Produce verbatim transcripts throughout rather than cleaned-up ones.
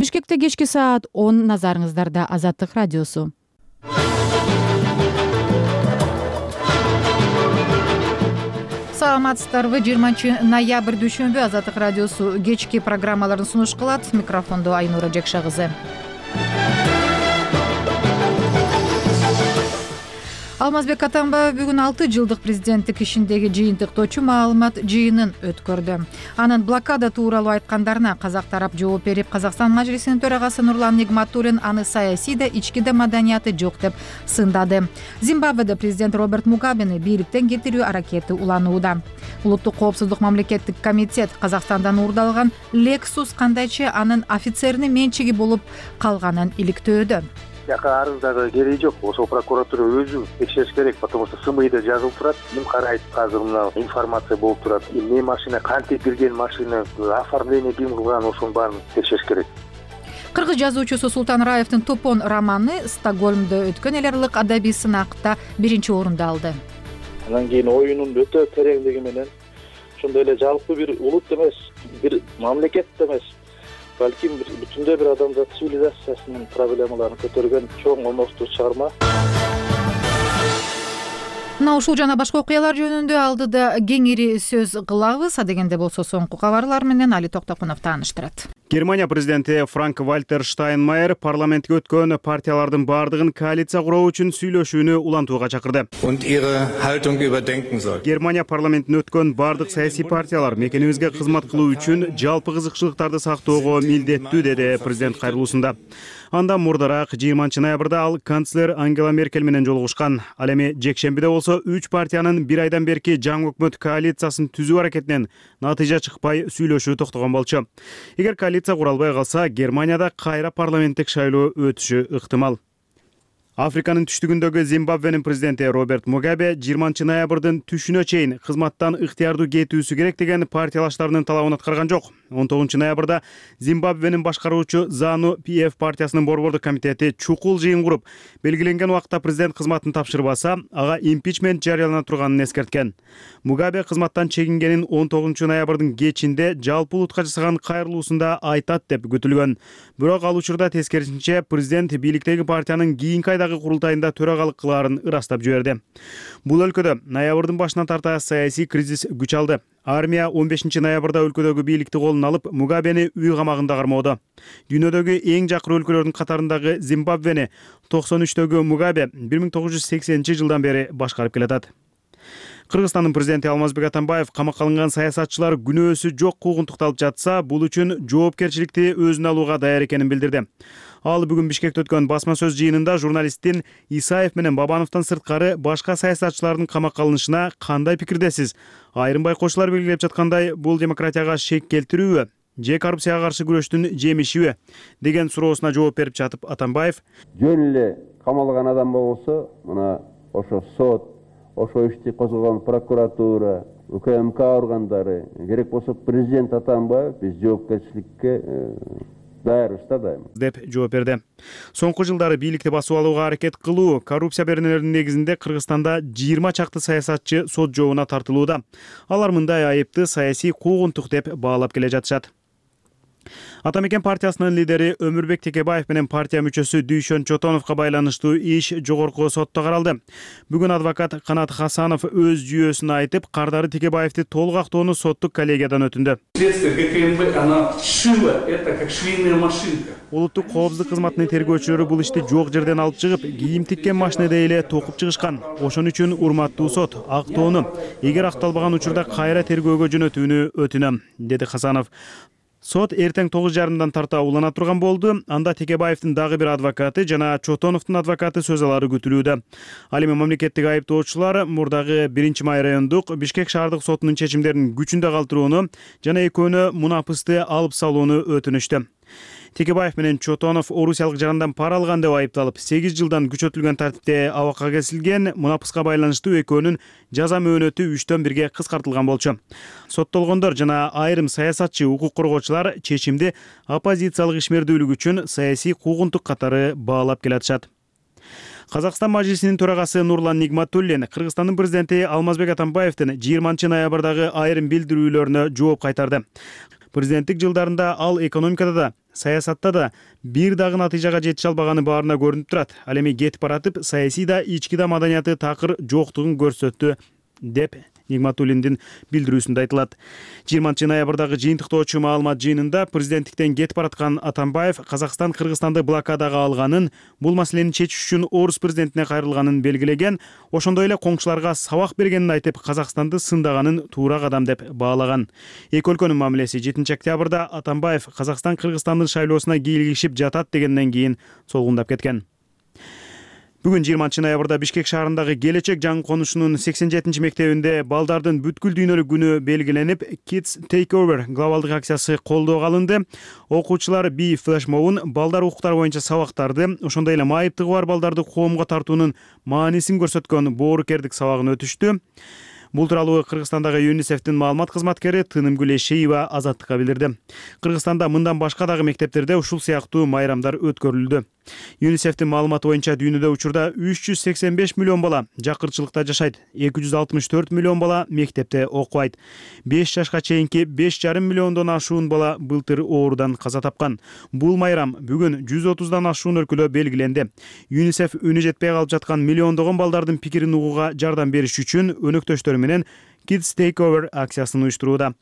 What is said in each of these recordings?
Бишкекте кечки саат он, назарыңыздарда Азаттык радиосу. Саламатсыздарбы? жыйырманчы ноябрь дүйшөмбү Азаттык радиосу кечки программаларын сунуш кылат. Микрофондо Айнура Жекша кызы. Алмазбек Атамбаев бүгүн алты жылдык президенттик ишиндеги жыйынтыктоочу маалымат жыйынын өткөрдү. Анын блокада тууралуу айткандарына казак тарап жооп берип, Казакстан Мажлисинин төрагасы Нурлан Нигматуллин аны саясий да, ички да маданияты жок деп сындады. Зимбабведе президент Роберт Мугабени бийликтен кетирүү аракети уланууда. Улуттук коопсуздук мамлекеттик комитет Казакстандан уурдалган Lexus кандайча анын офицеринин менчиги болуп калганын иликтөөдө. Жака арыздагы кереги жок. Ошол прокуратура өзү текшериш керек, потому что СМИда жазылып турат. Ким карайт, азыр мына информация болуп турат. Эмне машина, кантип кирген машина, оформление ким кылган, ошонун баарын текшериш керек. Кыргыз жазуучусу Султан Раевдин Топон романы Стокгольмдо өткөн эл аралык адабий сынакта биринчи орунду алды. Анан кийин оюнун өтө тереңдиги менен ошондой эле жалпы бир улут эмес, бир мамлекет эмес, балким бүтүндөй бир адамзат цивилизациясынын проблемаларын көтөргөн чоң оностуу чыгарма. Мына ушул жана башка окуялар жөнүндө алдыда кеңири сөз кылабыз. Адегенде болсо соңку кабарлар менен Али Токтокунов тааныштырат. Германия президенти Франк-Вальтер Штайнмайер парламентке өткөн партиялардын бардыгын коалиция куруу үчүн сүйлөшүүнү улантууга чакырды. Германия парламентине өткөн бардык саясий партиялар мекенибизге кызмат кылуу үчүн жалпы кызыкчылыктарды сактоого милдеттүү, деди президент кайрылуусунда. Андан мурдараак жыйырманчы ноябрда ал канцлер Ангела Меркель менен жолугушкан. Ал эми жекшембиде болсо үч партиянын бир айдан берки жаңы өкмөт коалициясын түзүү аракетинен натыйжа чыкпай сүйлөшүү токтогон болчу. Эгер коалиция кура албай калса, Германияда кайра парламенттик шайлоо өтүшү ыктымал. Африканын түштүгүндөгү Зимбабвенин президенти Роберт Мугабе жыйырманчы ноябрдын түшүнө чейин кызматтан ыктыярдуу кетүүсү керек деген партиялаштарынын талабын аткарган жок. он тогузунчу ноябрда Зимбабвенин башкаруучу Зану пи эф партиясынын борбордук комитети чукул жыйын куруп, белгиленген убакта президент кызматын тапшырбаса, ага импичмент жарыялана турганын эскерткен. Мугабе кызматтан чегингенин он тогузунчу ноябрдын кечинде жалпы улутка жасаган кайрылуусунда айтат деп күтүлгөн. Бирок ал учурда тескерисинче президент бийликтеги партиянын кийинки айдагы курултайында төрагалык кылаарын ырастап жиберди. Бул өлкөдө ноябрдын башынан тарта саясий кризис күч алды. Армия он бешинчи ноябрда өлкөдөгү бийликти колуна алып, Мугабени үй камагында кармоодо. Дүйнөдөгү эң жакыр өлкөлөрдүн катарындагы Зимбабвени токсон үчтөгү Мугабе бир миң тогуз жүз сексенинчи жылдан бери башкарып келатат. Кыргызстандын президенти Алмазбек Атамбаев камакка алынган саясатчылар күнөөсү жок куугунтукталып жатса, бул үчүн жоопкерчиликти өзүнө алууга даяр экенин билдирди. Ал бүгүн Бишкекте өткөн басма сөз жыйынында журналисттин Исаев менен Бабановдон сырткары башка саясатчылардын камакка алынышына кандай пикирдесиз? Айрым байкоочулар белгилеп жаткандай, бул демократияга шек келтирүүбү же коррупцияга каршы күрөштүн жемишиби деген суроосуна жооп берип жатып Атамбаев: жөн эле камалган адам болсо, мына ошо сот, ошо ишти козгогон прокуратура, УКМК органдары, керек болсо президент Атамбаев биз жоопкерчиликке даярбыз да дайыма деп жооп берди. Соңку жылдары бийликти басып алууга аракет кылуу, коррупция беренелеринин негизинде Кыргызстанда жыйырма чакты саясатчы сот жообуна тартылууда. Алар мындай айыпты саясий куугунтук деп баалап келе жатышат. Атамекен партиясынын лидери Өмүрбек Текебаев менен партия мүчөсү Дүйшөн Чотоновго байланыштуу иш жогорку сотто каралды. Бүгүн адвокат Канат Хасанов өз жүйөсүн айтып, Кардары Текебаевди толук актоону соттук коллегиядан өтүндү. Следствие ГКМБ, она шила это как швейная машинка. Улуттук коопсуздук кызматынын тергөөчүлөрү бул ишти жок жерден алып чыгып, кийим тиккен машинеде эле токуп чыгышкан. Ошон үчүн урматтуу сот, актоону эгер акталбаган учурда кайра тергөөгө жөнөтүүнү өтүнөм, деди Хасанов. Сот эртең тогуз жарымдан тарта улана турган болду. Анда Текебаевдин дагы бир адвокаты жана Чотоновдун адвокаты сөз алары күтүлүүдө. Ал эми мамлекеттик айыптоочулар мурдагы биринчи май райондук Бишкек шаардык сотунун чечимдерин күчүндө калтырууну жана экөөнө мунапысты алып салууну өтүнүштү. Текебаев менен Чотонов орусиялык жарандан пара алган деп айыпталып, сегиз жылдан күчөтүлгөн тартипте абакка кесилген. Мунапыска байланыштуу экөөнүн жаза мөөнөтү үчтөн бирге кыскартылган болчу. Соттолгондор жана айрым саясатчы, укук коргоочулар чечимди оппозициялык ишмердүүлүк үчүн саясий куугунтук катары баалап келатышат. Казакстан Мажлисинин төрагасы Нурлан Нигматуллин Кыргызстандын президенти Алмазбек Атамбаевдин жыйырманчы ноябрдагы айрым билдирүүлөрүнө жооп кайтарды. Президенттик жылдарында ал экономикада да, саясатта да бир дагы натыйжага жетише албаганы баарына көрүнүп турат. Ал эми кетип баратып, саясий да, ички да маданияты такыр жоктугун көрсөттү деп Нигматуллиндин билдирүүсүндө айтылат. жыйырманчы ноябрдагы жыйынтыктоочу маалымат жыйынында президенттиктен кетип бараткан Атамбаев Казакстан Кыргызстанды блокадага алганын, бул маселени чечиш үчүн орус президентине кайрылганын белгилеген, ошондой эле коңшуларга сабак бергенин айтып, Казакстанды сындаганын туура кадам деп баалаган. Эки өлкөнүн мамилеси жетинчи октябрда Атамбаев Казакстан Кыргызстандын шайлоосуна кийлигишип жатат дегенден кийин солгундап кеткен. Бүгүн жыйырманчы ноябрда Бишкек шаарындагы Келечек жаңы конушунун сексен жетинчи мектебинде балдардын бүткүл дүйнөлүк күнү белгиленип, Kids Takeover глобалдык акциясы колдоого алынды. Окуучулар би флешмобун, балдар укуктары боюнча сабактарды, ошондой эле майыптыгы бар балдарды коомго тартуунун маанисин көрсөткөн боорукердик сабагын өтүштү. Бул тууралуу Кыргызстандагы ЮНИСЕФтин маалымат кызматкери Тынымгүл Эшеева Азаттыкка билдирди. Кыргызстанда мындан башка дагы мектептерде ушул сыяктуу майрамдар өткөрүлдү. ЮНИСЕФтин маалыматы боюнча дүйнөдө учурда үч жүз сексен беш миллион бала жакырчылыкта жашайт, эки жүз алтымыш төрт миллион бала мектепте окубайт. беш жашка чейинки беш жарым миллиондон ашуун бала былтыр оорудан каза тапкан. Бул майрам бүгүн жүз отуздан ашуун өлкөдө белгиленди. ЮНИСЕФ үнү жетпей калып жаткан миллиондогон балдардын пикирин угууга жардам бериш үчүн өнөктөштөрү менен Kids Takeover акциясын уюштурууда.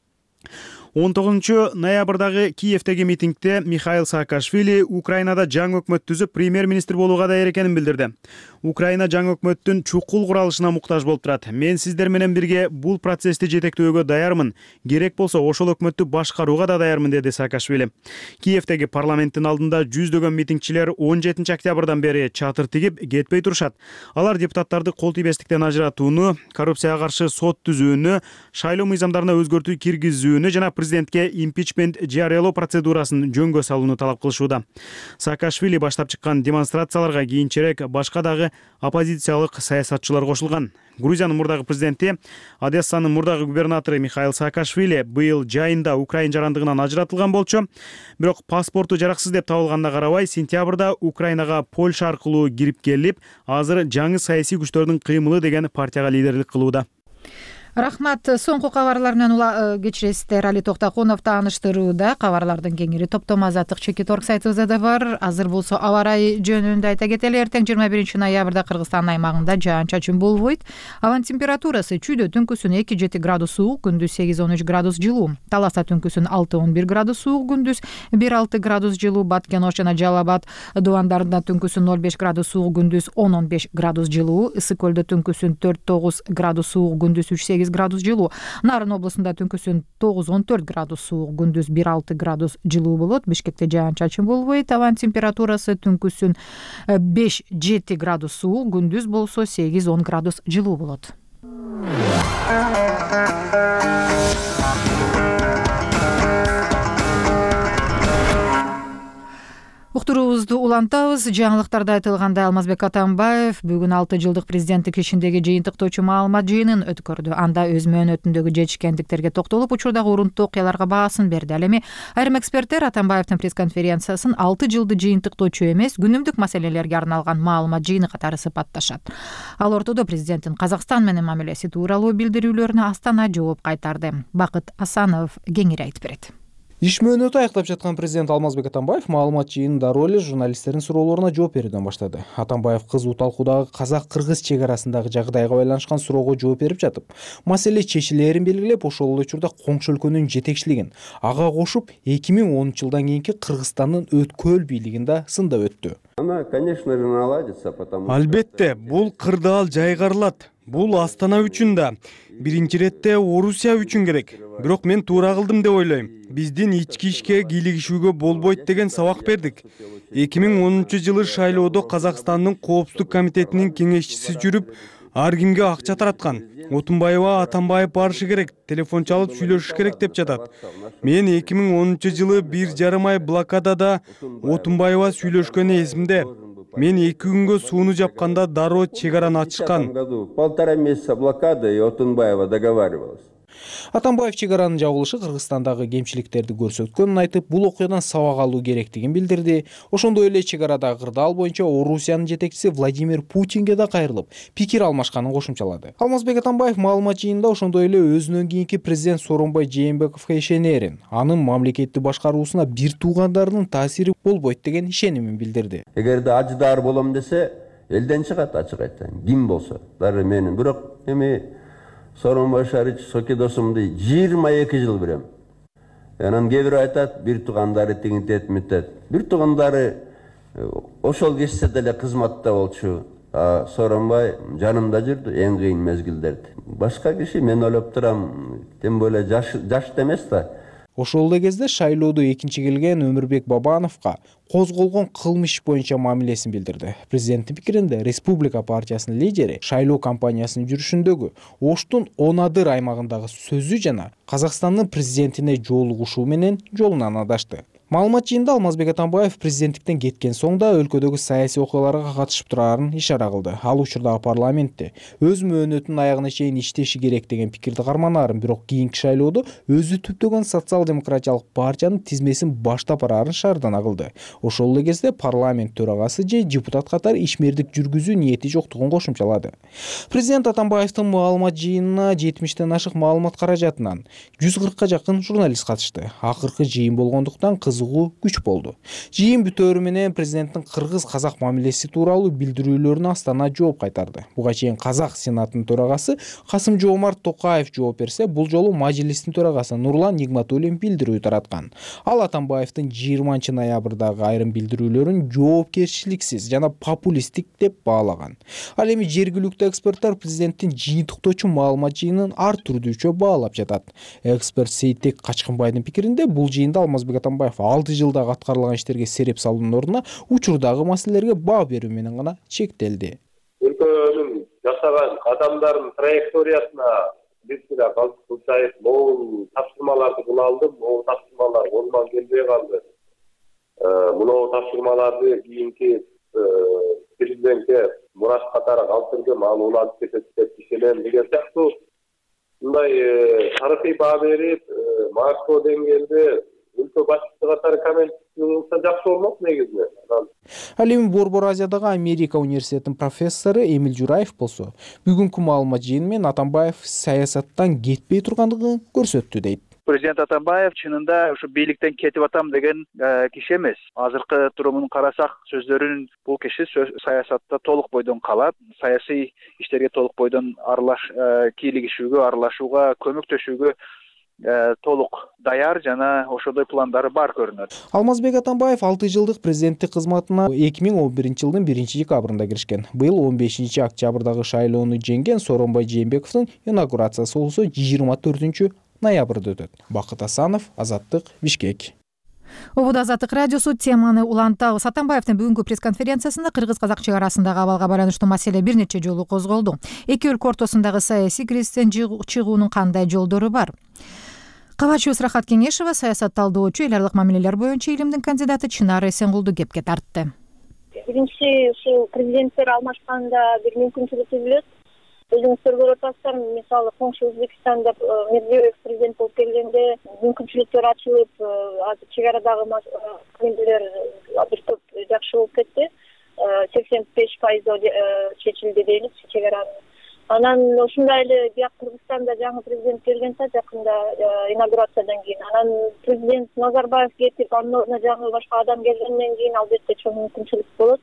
он тогузунчу ноябрдагы Киевдеги митингде Михаил Саакашвили Украинада жаңы өкмөт түзүп премьер-министр болууга даяр экенин билдирди. Украина жаңы өкмөттүн чукул куралышына муктаж болуп турат. Мен сиздер менен бирге бул процессти жетектөөгө даярмын. Керек болсо ошол өкмөттү башкарууга да даярмын, деди Саакашвили. Киевдеги парламенттин алдында жүздөгөн митингчилер он жетинчи октябрдан бери чатыр тигип кетпей турушат. Алар депутаттарды кол тийбестиктен ажыратууну, коррупцияга каршы сот түзүүнү, шайлоо мыйзамдарына өзгөртүү киргизүүнү жана президентке импичмент жарыялоо процедурасын жөнгө салууну талап кылышууда. Саакашвили баштап чыккан демонстрацияларга кийинчерээк башка дагы оппозициялык саясатчылар кошулган. Грузиянын мурдагы президенти, Одессанын мурдагы губернатору Михаил Саакашвили быйыл жайында Украина жарандыгынан ажыратылган болчу. Бирок паспорту жараксыз деп табылганына карабай, сентябрда Украинага Польша аркылуу кирип келип, азыр жаңы саясий күчтөрдүн кыймылы деген партияга лидерлик кылууда. Рахмат. Соңку кабарлар менен ула кечиресиздер. Али Токтакунов тааныштырууда. Кабарлардын кеңири топтомо Азаттык чекит орг сайтыбызда да бар. Азыр болсо аба ырайы жөнүндө айта кетели. Эртең жыйырма биринчи ноябрда Кыргызстан аймагында жаан-чачын болбойт. Абанын температурасы чүйдө түнкүсүн эки жети градус суук, күндүз сегиз он үч градус жылуу. Таласта түнкүсүн алты он бир градус суук, күндүз бир алты градус жылуу. Баткен Ош жана Жалал Абад дубандарында түнкүсүн ноль беш градус суук, күндүз он он беш градус жылуу. Ысык көлдө түнкүсүн төрт тогуз градус суук, күндүз үч сегиз градус жылуу. Нарын облусунда түнкүсүн тогуз он төрт градус суук, күндүз бир алты градус жылуу болот. Бишкекте жаан-чачын болбойт. Абанын температурасы түнкүсүн беш жети градус суук, күндүз болсо сегиз он градус жылуу болот. Уктуруубузду улантабыз. Жаңылыктарда айтылгандай, Алмазбек Атамбаев бүгүн алты жылдык президенттик ишиндеги жыйынтыктоочу маалымат жыйынын өткөрдү. Анда өз мөөнөтүндөгү жетишкендиктерге токтолуп, учурдагы урунттуу окуяларга баасын берди. Ал эми айрым эксперттер Атамбаевдин пресс-конференциясын алты жылды жыйынтыктоочу эмес, күнүмдүк маселелерге арналган маалымат жыйыны катары сыпатташат. Ал ортодо президенттин Казакстан менен мамилеси тууралуу билдирүүлөрүнө Астана жооп кайтарды. Бакыт Асанов кеңири айтып берет. Иш мөөнөтү аяктап жаткан президент Алмазбек Атамбаев маалымат жыйынында дароо эле журналисттердин суроолоруна жооп берүүдөн баштады. Атамбаев кызуу талкуудагы казак-кыргыз чек арасындагы жагдайга байланышкан суроого жооп берип жатып, маселе чечилээрин белгилеп, ошол эле учурда коңшу өлкөнүн жетекчилигин, ага кошуп эки миң онунчу жылдан кийинки Кыргызстандын өткөл бийлигин да сындап өттү. Она, конечно же, наладится, потому Албетте, бул кырдаал жайгарылат. Бул Астана үчүн да, биринчи иретте Орусия үчүн керек. Бирок мен туура кылдым деп ойлойм. Биздин ички ишке кийлигишүүгө болбойт деген сабак бердик. эки миң онунчу жылы шайлоодо Казакстандын Коопсуздук комитетинин кеңешчиси жүрүп, ар кимге акча тараткан. Отунбаева Атамбаев барышы керек, телефон чалып сүйлөшүш керек деп жатат. Мен эки миң онунчу жылы бир жарым ай блокадада Отунбаева сүйлөшкөнү эсимде. Мен эки күнгө сууну жапканда дароо чек араны ачышкан. Полтора месяца блокады, и Отунбаева договаривалась. Атамбаев чек аранын жабылышы Кыргызстандагы кемчиликтерди көрсөткөнүн айтып, бул окуядан сабак алуу керектигин билдирди. Ошондой эле чек арадагы кырдаал боюнча Орусиянын жетекчиси Владимир Путинге да кайрылып, пикир алмашканын кошумчалады. Алмазбек Атамбаев маалымат жыйынында ошондой эле өзүнөн кийинки президент Сооронбай Жээнбековго ишенерин, анын мамлекетти башкаруусуна бир туугандарынын таасири болбойт деген ишенимин билдирди. Эгерде ажыдаар болом десе, элден чыгат, ачык айтайын. Ким болсо, дары менин. Бирок эми Сооронбай Шарич Сокедосумду жыйырма эки жыл билем. Анан кээ бирөө айтат, бир туугандары тигинтет митет. Бир туугандары ошол кечсе деле кызматта болчу. Сооронбай жанымда жүрдү эң кыйын мезгилдерде. Башка киши мен ойлоп турам, тем более жаш жаш эмес да. Ошол эле кезде шайлоодо экинчи келген Өмүрбек Бабановго козголгон кылмыш боюнча мамилесин билдирди. Президенттин пикиринде Республика партиясынын лидери шайлоо кампаниясынын жүрүшүндөгү Оштун Онадыр аймагындагы сөзү жана Казакстандын президентине жолугушуу менен жолунан адашты. Маалымат жыйында Алмазбек Атамбаев президенттиктен кеткен соң да өлкөдөгү саясий окуяларга катышып турарын ишара кылды. Ал учурдагы парламентте өз мөөнөтүнүн аягына чейин иштеши керек деген пикирди карманарын, бирок кийинки шайлоодо өзү түптөгөн социал-демократиялык партиянын тизмесин баштап барарын шаардана кылды. Ошол эле кезде парламент төрагасы же депутат катары ишмердик жүргүзүү ниети жоктугун кошумчалады. Президент Атамбаевдин маалымат жыйынына жетимиштен ашык маалымат каражатынан жүз кыркка жакын журналист катышты. Акыркы жыйын болгондуктан күч болду. Жыйын бүтөөрү менен президенттин кыргыз-казак мамилеси тууралуу билдирүүлөрүнө Астана жооп кайтарды. Буга чейин Казак Сенатынын төрагасы Касым-Жоомарт Токаев жооп берсе, бул жолу Мажилистин төрагасы Нурлан Нигматуллин билдирүү тараткан. Ал Атамбаевдин жыйырманчы ноябрдагы айрым билдирүүлөрүн жоопкерчиликсиз жана популисттик деп баалаган. Ал эми жергиликтүү эксперттер президенттин жыйынтыктоочу маалымат жыйынын ар түрдүүчө баалап жатат. Эксперт Сейтек Качкынбайдын пикиринде, бул жыйында Алмазбек Атамбаев алты жылдагы аткарылган иштерге сереп салуунун ордуна учурдагы маселелерге баа берүү менен гана чектелди. Өлкөнүн жасаган кадамдарын траекториясына бир сыйра калчаев могул тапшырмаларды кыла алдым, могул тапшырмалар колунан келбей калды. Мынау тапшырмаларды кийинки президентке мурас катары калтырдым, ал улантып кетет деп ишенем деген сыяктуу мындай тарыхый баа берип, макро деңгээлде өлкө башчысы катары коммент кылса жакшы болмок негизи. Ал эми Борбор Азиядагы Америка университетинин профессору Эмил Жураев болсо, бүгүнкү маалымат жыйыны менен Атамбаев саясаттан кетпей тургандыгын көрсөттү дейт. Президент Атамбаев чынында ушу бийликтен кетип атам деген киши эмес. Азыркы турумун карасак, сөздөрүн бул киши саясатта толук бойдон калат, саясий иштерге толук бойдон аралаш кийлигишүүгө, аралашууга, көмөктөшүүгө толук даяр жана ошондой пландары бар көрүнөт. Алмазбек Атамбаев алты жылдык президенттик кызматына эки миң он биринчи жылдын биринчи декабрында киришкен. Быйыл он бешинчи октябрдагы шайлоону жеңген Сооронбай Жээнбековдун инаугурациясы болсо жыйырма төртүнчү ноябрда өтөт. Бакыт Асанов, Азаттык, Бишкек. Обуда Азаттык радиосу теманы улантабыз. Атамбаевдин бүгүнкү пресс-конференциясында кыргыз-казак чек арасындагы абалга байланыштуу маселе бир нече жолу козголду. Эки өлкө ортосундагы саясий кризистен чыгуунун кандай жолдору бар? Кабачыбыз Рахат Кеңешова, саясат талдоочу, эл аралык мамилелер боюнча илимдин кандидаты Чынар Эсенгулду кепке тартты. Биринчи, ушул президенттер алмашканда бир мүмкүнчүлүк түзүлөт. Өзүңүздөр көрүп атасыздар, мисалы коңшу Өзбекстанда Медведев президент болуп келгенде мүмкүнчүлүктөр ачылып, азыр чек арадагы маселелер бир топ жакшы болуп кетти. сексен беш пайыз чечилди дейбиз чек аранын. Анан ошондой эле бияк Кыргызстанда жаңы президент келген да жакында инаугурациядан кийин. Анан президент Назарбаев кетип, анын ордуна жаңы башка адам келгенден кийин албетте чоң мүмкүнчүлүк болот.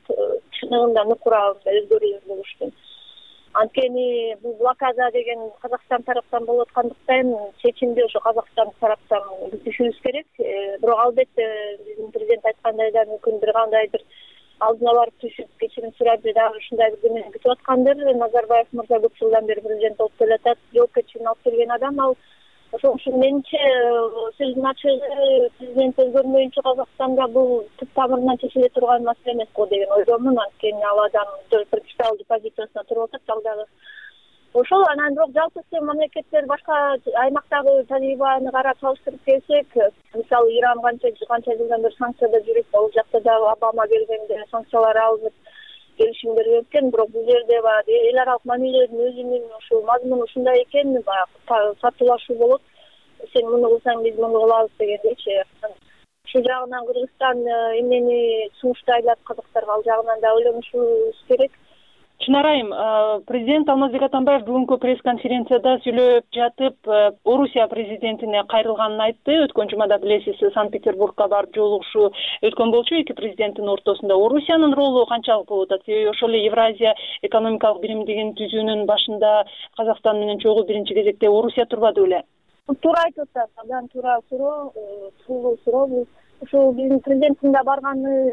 Чыныгында нукура өзгөрүүлөр болушту. Анткени бул блокада деген Казакстан тараптан болуп аткандыктан чечимди ошо Казакстан тараптан күтүшүбүз керек. Бирок албетте биздин президент айткандай да мүмкүн бир кандайдыр алдына барып түшүп кечирим сурап дагы ушундай бир күнү күтүп аткандыр. Назарбаев мырза көп жылдан бери президент болуп келатат, жоопкерчилигин алып келген адам. Ал ошол үчүн менимче сөздүн ачыгы президент өзгөрмөйүнчө Казакстанда бул түп тамырынан чечиле турган маселе эмес го деген ойдомун. Анткени ал адам принципиалдуу позициясына туруп атат ал дагы. Ошол анан бирок жалпысы мамлекеттер башка аймактагы тажрыйбаны карап салыштырып келсек, мисалы Иран канча канча жылдан бери санкцияда жүрүп, ал жакта дагы Обама келгенде санкциялар алынып, келишимдер өткөн, бирок бул жерде баягы эл аралык мамилелердин өзүнүн ушул мазмуну ушундай экен, баягы сатылашуу болот. Сен муну кылсаң биз муну кылабыз дегендейчи. Ушул жагынан Кыргызстан эмнени сунуштайлап казактарга, ал жагынан да ойлонушубуз керек. Чынар айым, президент Алмазбек Атамбаев бүгүнкү пресс-конференцияда сүйлөп жатып, Орусия президентине кайрылганын айтты. Өткөн жумада билесиз, Санкт-Петербургка барып жолугушуу өткөн болчу. Эки президенттин ортосунда Орусиянын ролу канчалык болуп атат? Себеби ошол эле Евразия экономикалык биримдигин түзүүнүн башында Казакстан менен чогуу биринчи кезекте Орусия турбады беле? Туура айтып атат. Абдан туура суроо, туулуу суроо бул. Ушул биздин президенттин да барганы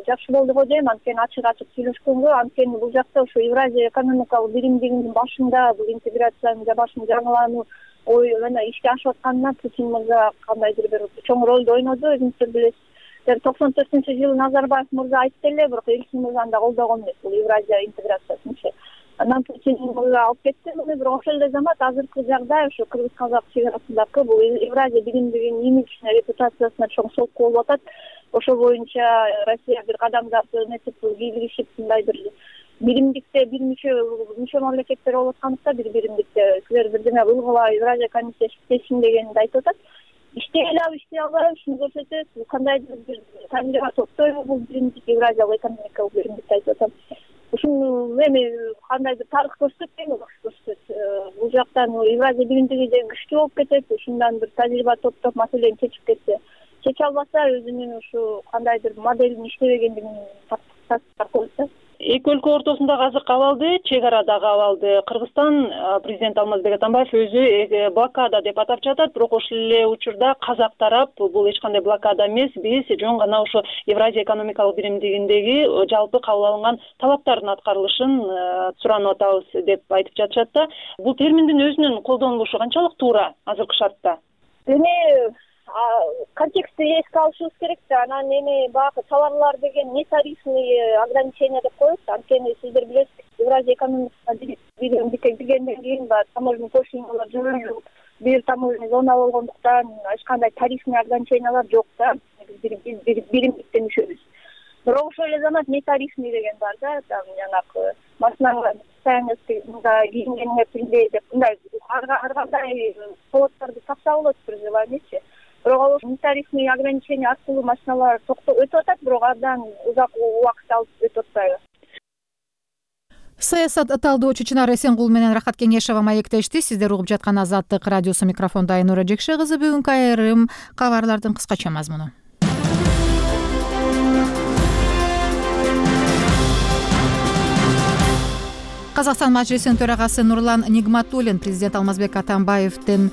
жакшы болду го дейм. Анткени ачык-ачык сүйлөшкөнгө, анткени бул жакта ушу Евразия экономикалык биримдигинин башында бул интеграциянын башын жаңылануу ой мына ишке ашып атканына Путин мырза кандайдыр бир чоң ролду ойноду. Өзүңүздөр билесиз, токсон төртүнчү жылы Назарбаев мырза айтты эле, бирок Элчин мырзаны да колдогон эмес бул Евразия интеграциясынчы. Анан Путин мырза алып кетти муну, бирок ошол эле замат азыркы жагдай ушу кыргыз-казак чек арасындагы бул Евразия биримдигинин имиджине, репутациясына чоң солку болуп атат. Ошол боюнча Россия бир кадамдап нетип кийлигишип мындайдыр биримдикте бир мүчө мүчө мамлекеттер болуп аткандыкта бир биримдикте силер бирдеме кылгыла, Евразия комиссиясы иштесин дегенди айтып атат. Иштей алабы, иштей албайбы, ушуну көрсөтөт. Бул кандайдыр бир камера топтойбу бул биримдик, Евразиялык экономикалык биримдикти айтып атам. Ушуну эми кандайдыр тарых көрсөтпөйбү, көрсөтөт. Бул жактан Евразия биримдиги де күчтүү болуп кетет, ушундан бир тажрыйба топтоп маселени чечип кетсе. Чече албаса өзүнүн ушу кандайдыр моделин иштебегендигин тастап. Эки өлкө ортосундагы азыркы абалды, чек арадагы абалды Кыргызстан президент Алмазбек Атамбаев өзү блокада деп атап жатат, бирок ошол эле учурда казак тарап бул эч кандай блокада эмес, биз жөн гана ошо Евразия экономикалык биримдигиндеги жалпы кабыл алынган талаптардын аткарылышын суранып атабыз деп айтып жатышат да. Бул терминдин өзүнүн колдонулушу канчалык туура азыркы шартта? Эми контекстти эске алышыбыз керек да. Анан эми баягы товарлар деген нетарифный ограничения деп коет. Анткени сиздер билесиз, Евразия экономикасына биримдикке киргенден кийин баягы таможенный пошлиналар жөнүндө бир таможенный зона болгондуктан эч кандай тарифный ограничениялар жок да. Биз биримдикте мүчөбүз. Бирок ошол эле замат нетарифный деген бар да. Там жанагы машиналар мындай кийингениңер билбей деп мындай ар кандай поводдорду тапса болот бир желаниечи. Бирок ал нетарифный ограничение аркылуу машиналар өтүп атат, бирок абдан узак убакыт алып өтүп атпайбы. Саясат талдоочу Чынар Эсенгул менен Рахат Кеңешова маектешти. Сиздер угуп жаткан Азаттык радиосу, микрофондо Айнура Жекше кызы. Бүгүнкү айрым кабарлардын кыскача мазмуну. Казакстан мажлисинин төрагасы Нурлан Нигматуллин президент Алмазбек Атамбаевдин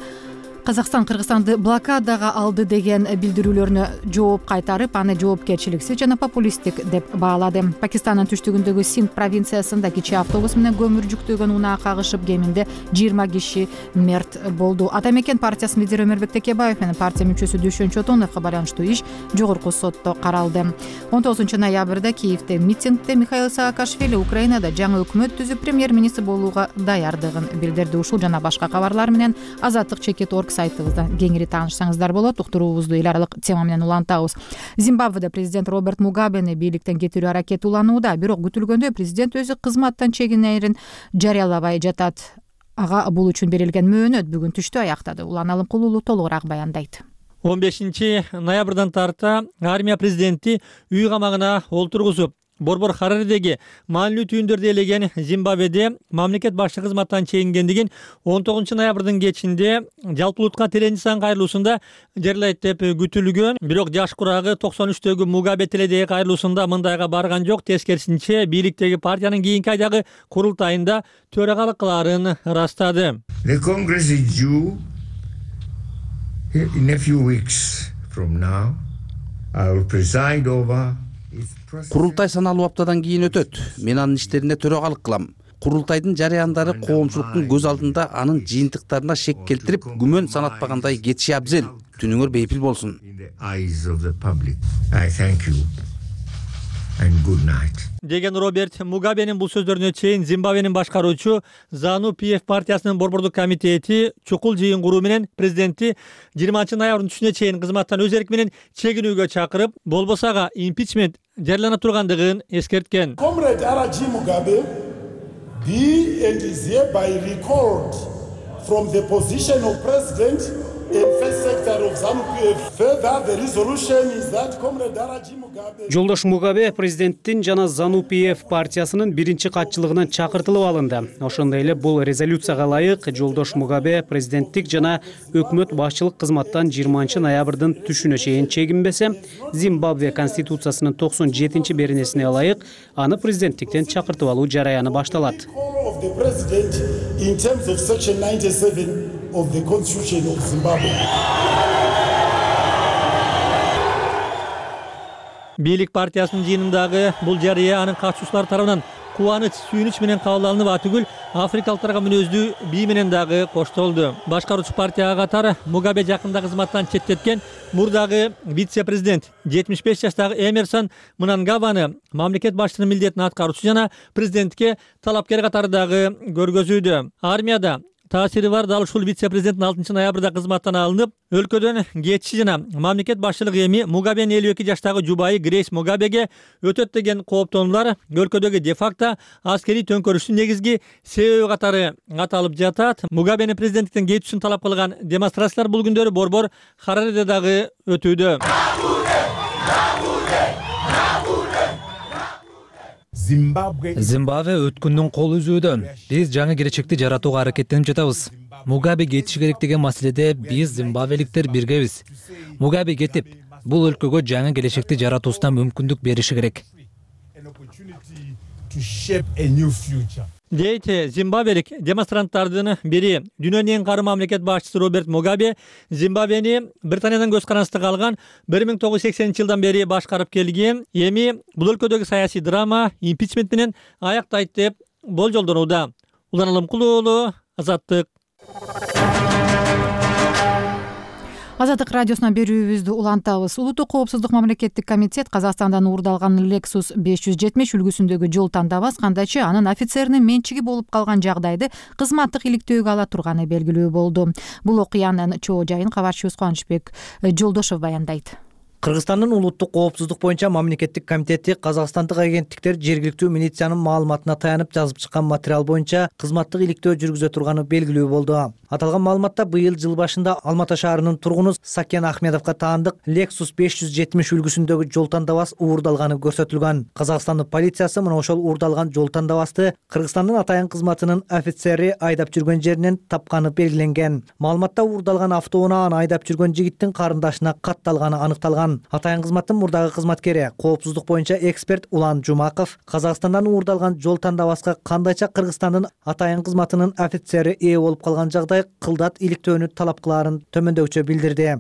Казакстан Кыргызстанды блокадага алды деген билдирүүлөрүнө жооп кайтарып, аны жоопкерчиликсиз жана популисттик деп баалады. Пакистандын түштүгүндөгү Синд провинциясында кичи автобус менен көмүр жүктөгөн унаа кагышып, кеминде жыйырма киши мерт болду. Ата мекен партиясынын лидери Өмөрбек Текебаев менен партия мүчөсү Дүйшөн Чотоновго байланыштуу иш жогорку сотто каралды. он тогузунчу ноябрда Киевде митингде Михаил Саакашвили Украинада жаңы өкмөт түзүп премьер-министр болууга даярдыгын билдирди. Ушул жана башка кабарлар менен Азаттык чекит орг сайтыбыздан кеңири таанышсаңыздар болот. Уктуруубузду эл аралык тема менен улантабыз. Зимбабведе президент Роберт Мугабени бийликтен кетирүү аракети уланууда, бирок күтүлгөндөй президент өзү кызматтан чегинерин жарыялабай жатат. Ага бул үчүн берилген мөөнөт бүгүн түштө аяктады. Улан Алымкулуулу толугураак баяндайт. он бешинчи ноябрдан тарта армия президенти үй камагына олтургузуп, Борбор Хараридеги маанилүү түйүндөрдү ээлеген Зимбабведе мамлекет башчы кызматтан чегингендигин он тогузунчу ноябрдын кечинде жалпылыкка теленчи сан кайрылуусунда жарыялайт деп күтүлгөн. Бирок жаш курагы токсон үчтөгү Мугабе тиледеги кайрылуусунда мындайга барган жок. Тескерисинче бийликтеги партиянын кийинки айдагы курултайында төрагалык кылаарын ырастады. The Congress is due in a few weeks from now. I will preside over. Курултай саналуу аптадан кийин өтөт. Мен анын иштерине төрагалык кылам. Курултайдын жарыяндары коомчулуктун көз алдында анын жыйынтыктарына шек келтирип, күмөн санатпагандай кетиши абзел. Түнүңөр бейпил болсун. Деген Роберт Мугабенин бул сөздөрүнө чейин Зимбабвенин башкаруучу Зану пи эф партиясынын борбордук комитети чукул жыйын куруу менен президентти жыйырманчы ноябрдын түшүнө чейин кызматтан өз эрки менен чегинүүгө чакырып, болбосо ага импичмент жарыялана тургандыгын эскерткен. Comrade Araji Mugabe be and is hereby recalled from the position of president and first secretary of ZANU-P F. Further, the resolution is that Comrade Araji Mugabe Жолдош Мугабе президенттин жана ZANU-P F партиясынын биринчи катчылыгынан чакыртылып алынды. Ошондой эле бул резолюцияга ылайык Жолдош Мугабе президенттик жана өкмөт башчылык кызматтан жыйырманчы ноябрдын түшүнө чейин чегинбесе, Зимбабве конституциясынын токсон жетинчи беренесине ылайык аны президенттиктен чакыртып алуу жараяны башталат. of the president in terms of section ninety-seven of the constitution of Zimbabwe. Бийлик партиясынын жыйынындагы бул жарыя анын катышуучулары тарабынан кубаныч, сүйүнүч менен кабыл алынып, атүгүл африкалыктарга мүнөздүү бий менен дагы коштолду. Башкаруучу партияга катары Мугабе жакында кызматтан четтеткен мурдагы вице-президент жетимиш беш жаштагы Эмерсон Мнангабаны мамлекет башчысынын милдетин аткаруучу жана президентке талапкер катары дагы көргөзүүдө. Армияда таасири бар дал ушул вице-президенттин алтынчы ноябрда кызматтан алынып, өлкөдөн кетиши жана мамлекет башчылык эми Мугабенин элүү эки жаштагы жубайы Грейс Мугабеге өтөт деген кооптонуулар өлкөдөгү де-факто аскерий төңкөрүштүн негизги себеби катары аталып жатат. Мугабенин президенттиктен кетишин талап кылган демонстрациялар бул күндөрү борбор Харареде дагы өтүүдө. Зимбабве өткүндүн кол үзүүдө. Биз жаңы келечекти жаратууга аракеттенип жатабыз. Мугабе кетиши керек деген маселеде биз зимбабвеликтер биргебиз. Мугабе кетип, бул өлкөгө жаңы келечекти жаратуусуна мүмкүндүк бериши керек. Дейт зимбабвелик демонстранттардын бири. Дүйнөнүн эң кары мамлекет башчысы Роберт Мугабе Зимбабвени Британиядан көз карандысында калган бир миң тогуз жүз сексенинчи жылдан бери башкарып келген. Эми бул өлкөдөгү саясий драма импичмент менен аяктайт деп болжолдонууда. Улан Алымкулуу уулу, Азаттык. Азаттык радиосунан берүүбүздү улантабыз. Улуттук коопсуздук мамлекеттик комитет Казакстандан уурдалган Lexus беш жүз жетимиш үлгүсүндөгү жол тандабас кандайчы анын офицеринин менчиги болуп калган жагдайды кызматтык иликтөөгө ала турганы белгилүү болду. Бул окуянын чоо жайын кабарчыбыз Кубанычбек Жолдошов баяндайт. Кыргызстандын улуттук коопсуздук боюнча мамлекеттик комитети казакстандык агенттиктер жергиликтүү милициянын маалыматына таянып жазып чыккан материал боюнча кызматтык иликтөө жүргүзө турганы белгилүү болду. Аталган маалыматта быйыл жыл башында Алматы шаарынын тургуну Сакен Ахмедовго таандык Lexus беш жүз жетимиш үлгүсүндөгү жол тандабас уурдалганы көрсөтүлгөн. Казакстандын полициясы мына ошол уурдалган жол тандабасты Кыргызстандын атайын кызматынын офицери айдап жүргөн жеринен тапканы белгиленген. Маалыматта уурдалган автоунааны айдап жүргөн жигиттин карындашына катталганы аныкталган. Атайын кызматтын мурдагы кызматкери, коопсуздук боюнча эксперт Улан Жумаков Казакстандан уурдалган жол тандабаска кандайча Кыргызстандын атайын кызматынын офицери ээ болуп калган жагдай кылдат иликтөөнү талап кылаарын төмөндөгүчө билдирди.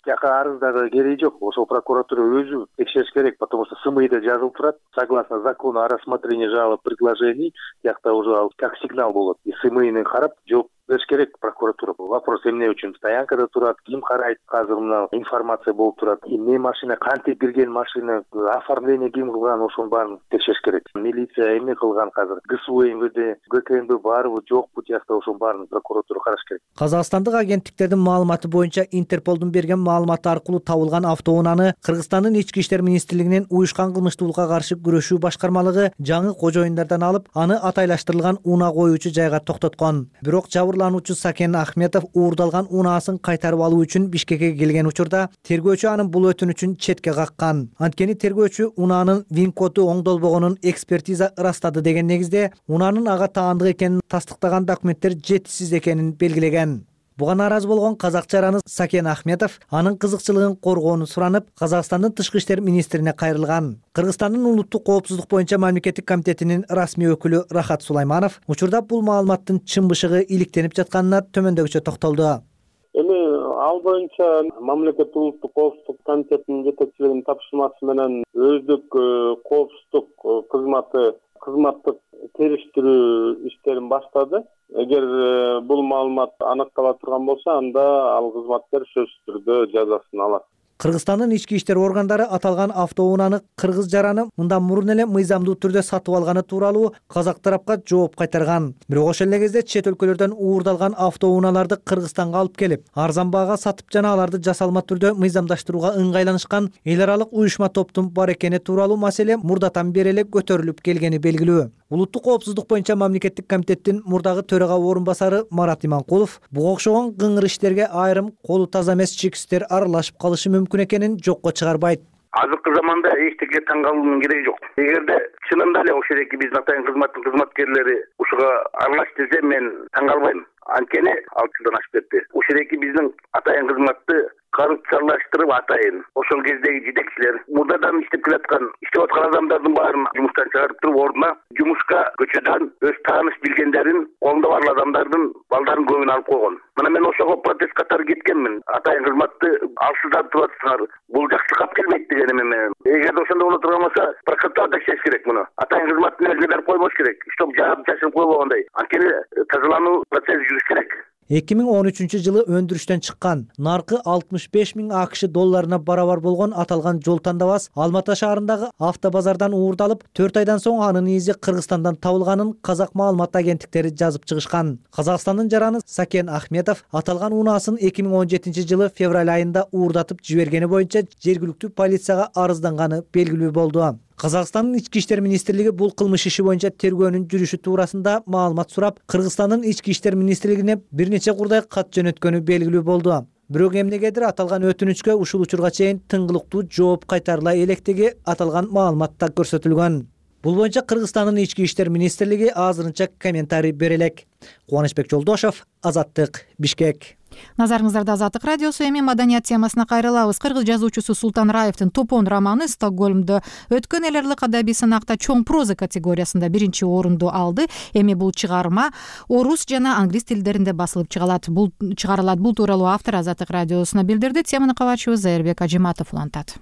Жака арыздагы кереги жок. Ошол прокуратура өзү текшериш керек, потому что СМИда жазылып турат. Согласно закону о рассмотрении жалоб предложений, жакта уже как сигнал болот. И СМИни карап жооп бериш керек прокуратура. Вопрос эмне үчүн стоянкада турат, ким карайт, азыр мына информация болуп турат. Эмне машина, кантип кирген машина, оформление ким кылган, ошонун баарын текшериш керек. Милиция эмне кылган азыр? ГСУ, МВД, ГКМБ барбы, жокпу жакта ошонун баарын прокуратура караш керек. Казакстандык агенттиктердин маалыматы боюнча Интерполдун берген маалыматы аркылуу табылган автоунааны Кыргызстандын ички иштер министрлигинин уюшкан кылмыштуулукка каршы күрөшүү башкармалыгы жаңы кожоюндардан алып, аны атайлаштырылган унаа коюучу жайга токтоткон. Бирок жабырлануучу Сакен Ахметов уурдалган унаасын кайтарып алуу үчүн Бишкекке келген учурда тергөөчү анын бул өтүнүчүн четке каккан. Анткени тергөөчү унаанын вин коду оңдолбогонун экспертиза ырастады деген негизде унаанын ага таандык экенин тастыктаган документтер жетишсиз экенин белгилеген. Буга нааразы болгон казакча араны Сакен Ахметов анын кызыкчылыгын коргоону суранып, Казакстандын тышкы иштер министрине кайрылган. Кыргызстандын улуттук коопсуздук боюнча мамлекеттик комитетинин расмий өкүлү Рахат Сулайманов учурда бул маалыматтын чын бышыгы иликтенип жатканына төмөндөгүчө токтолду. Эми ал боюнча мамлекеттик улуттук коопсуздук комитетинин жетекчилигинин тапшырмасы менен өздүк коопсуздук кызматы кызматтык териштирүү иштерин баштады. Эгер бул маалымат аныктала турган болсо, анда ал кызматкер сөзсүз түрдө жазасын алат. Кыргызстандын ички иштер органдары аталган автоунааны кыргыз жараны мындан мурун эле мыйзамдуу түрдө сатып алганы тууралуу казак тарапка жооп кайтарган. Бирок ошол эле кезде чет өлкөлөрдөн уурдалган автоунааларды Кыргызстанга алып келип, арзан баага сатып жана аларды жасалма түрдө мыйзамдаштырууга ыңгайланышкан эл аралык уюшма топтун бар экени тууралуу маселе мурдатан бери эле көтөрүлүп келгени белгилүү. Улуттук коопсуздук боюнча мамлекеттик комитеттин мурдагы төрага орун басары Марат Иманкулов буга окшогон кыңыр иштерге айрым колу таза эмес чекисттер аралашып калышы мүмкүн экенин жокко чыгарбайт. Азыркы заманда эчтеке таң калуунун кереги жок. Эгерде чынында эле ошол эки биздин атайын кызматтын кызматкерлери ушуга аралаш десе, мен таң калбайм. Анткени алты жылдан ашып кетти. Ушул эки биздин атайын кызматты коррупциялаштырып атайын ошол кездеги жетекчилер мурдадан иштеп келаткан иштеп аткан адамдардын баарын жумуштан чыгарып туруп ордуна жумушка көчөдөн өз тааныш билгендерин, колунда бар адамдардын балдарын көбүн алып койгон. Мына мен ошого протест катары кеткенмин. Атайын кызматты алсыздатып атсыңар, бул жакшылыкка алып келбейт дегеним мен. Эгерде ошондой боло турган болсо, прокуратура текшериш керек муну. Атайын кызматтын өзү берип койбош керек. Чтоб жаап жашырып койбогондой. Анткени тазалануу процесси жүрүш керек. эки миң он үчүнчү жылы өндүрүштөн чыккан, наркы алтымыш беш миң АКШ долларына барабар болгон аталган жол тандабас Алматы шаарындагы автобазардан уурдалып, төрт айдан соң анын изи Кыргызстандан табылганын казак маалымат агенттиктери жазып чыгышкан. Казакстандын жараны Сакен Ахметов аталган унаасын эки миң он жетинчи жылы февраль айында уурдатып жибергени боюнча жергиликтүү полицияга арызданганы белгилүү болду. Казакстандын ички иштер министрлиги бул кылмыш иши боюнча тергөөнүн жүрүшү туурасында маалымат сурап, Кыргызстандын ички иштер министрлигине бир нече курдай кат жөнөткөнү белгилүү болду. Бирок эмнегедир аталган өтүнүчкө ушул учурга чейин тыңгылыктуу жооп кайтарыла электеги аталган маалыматта көрсөтүлгөн. Бул боюнча Кыргызстандын ички иштер министрлиги азырынча комментарий бере элек. Кубанычбек Жолдошов, Азаттык, Бишкек. Назарыңыздарда Азаттык радиосу. Эми маданият темасына кайрылабыз. Кыргыз жазуучусу Султан Раевдин Топон романы Стокгольмдо өткөн эл аралык адабий сынакта чоң проза категориясында биринчи орунду алды. Эми бул чыгарма орус жана англис тилдеринде басылып чыгарылат. Бул чыгарылат. Бул тууралуу автор Азаттык радиосуна билдирди. Теманы кабарчыбыз Зайырбек Ажиматов улантат.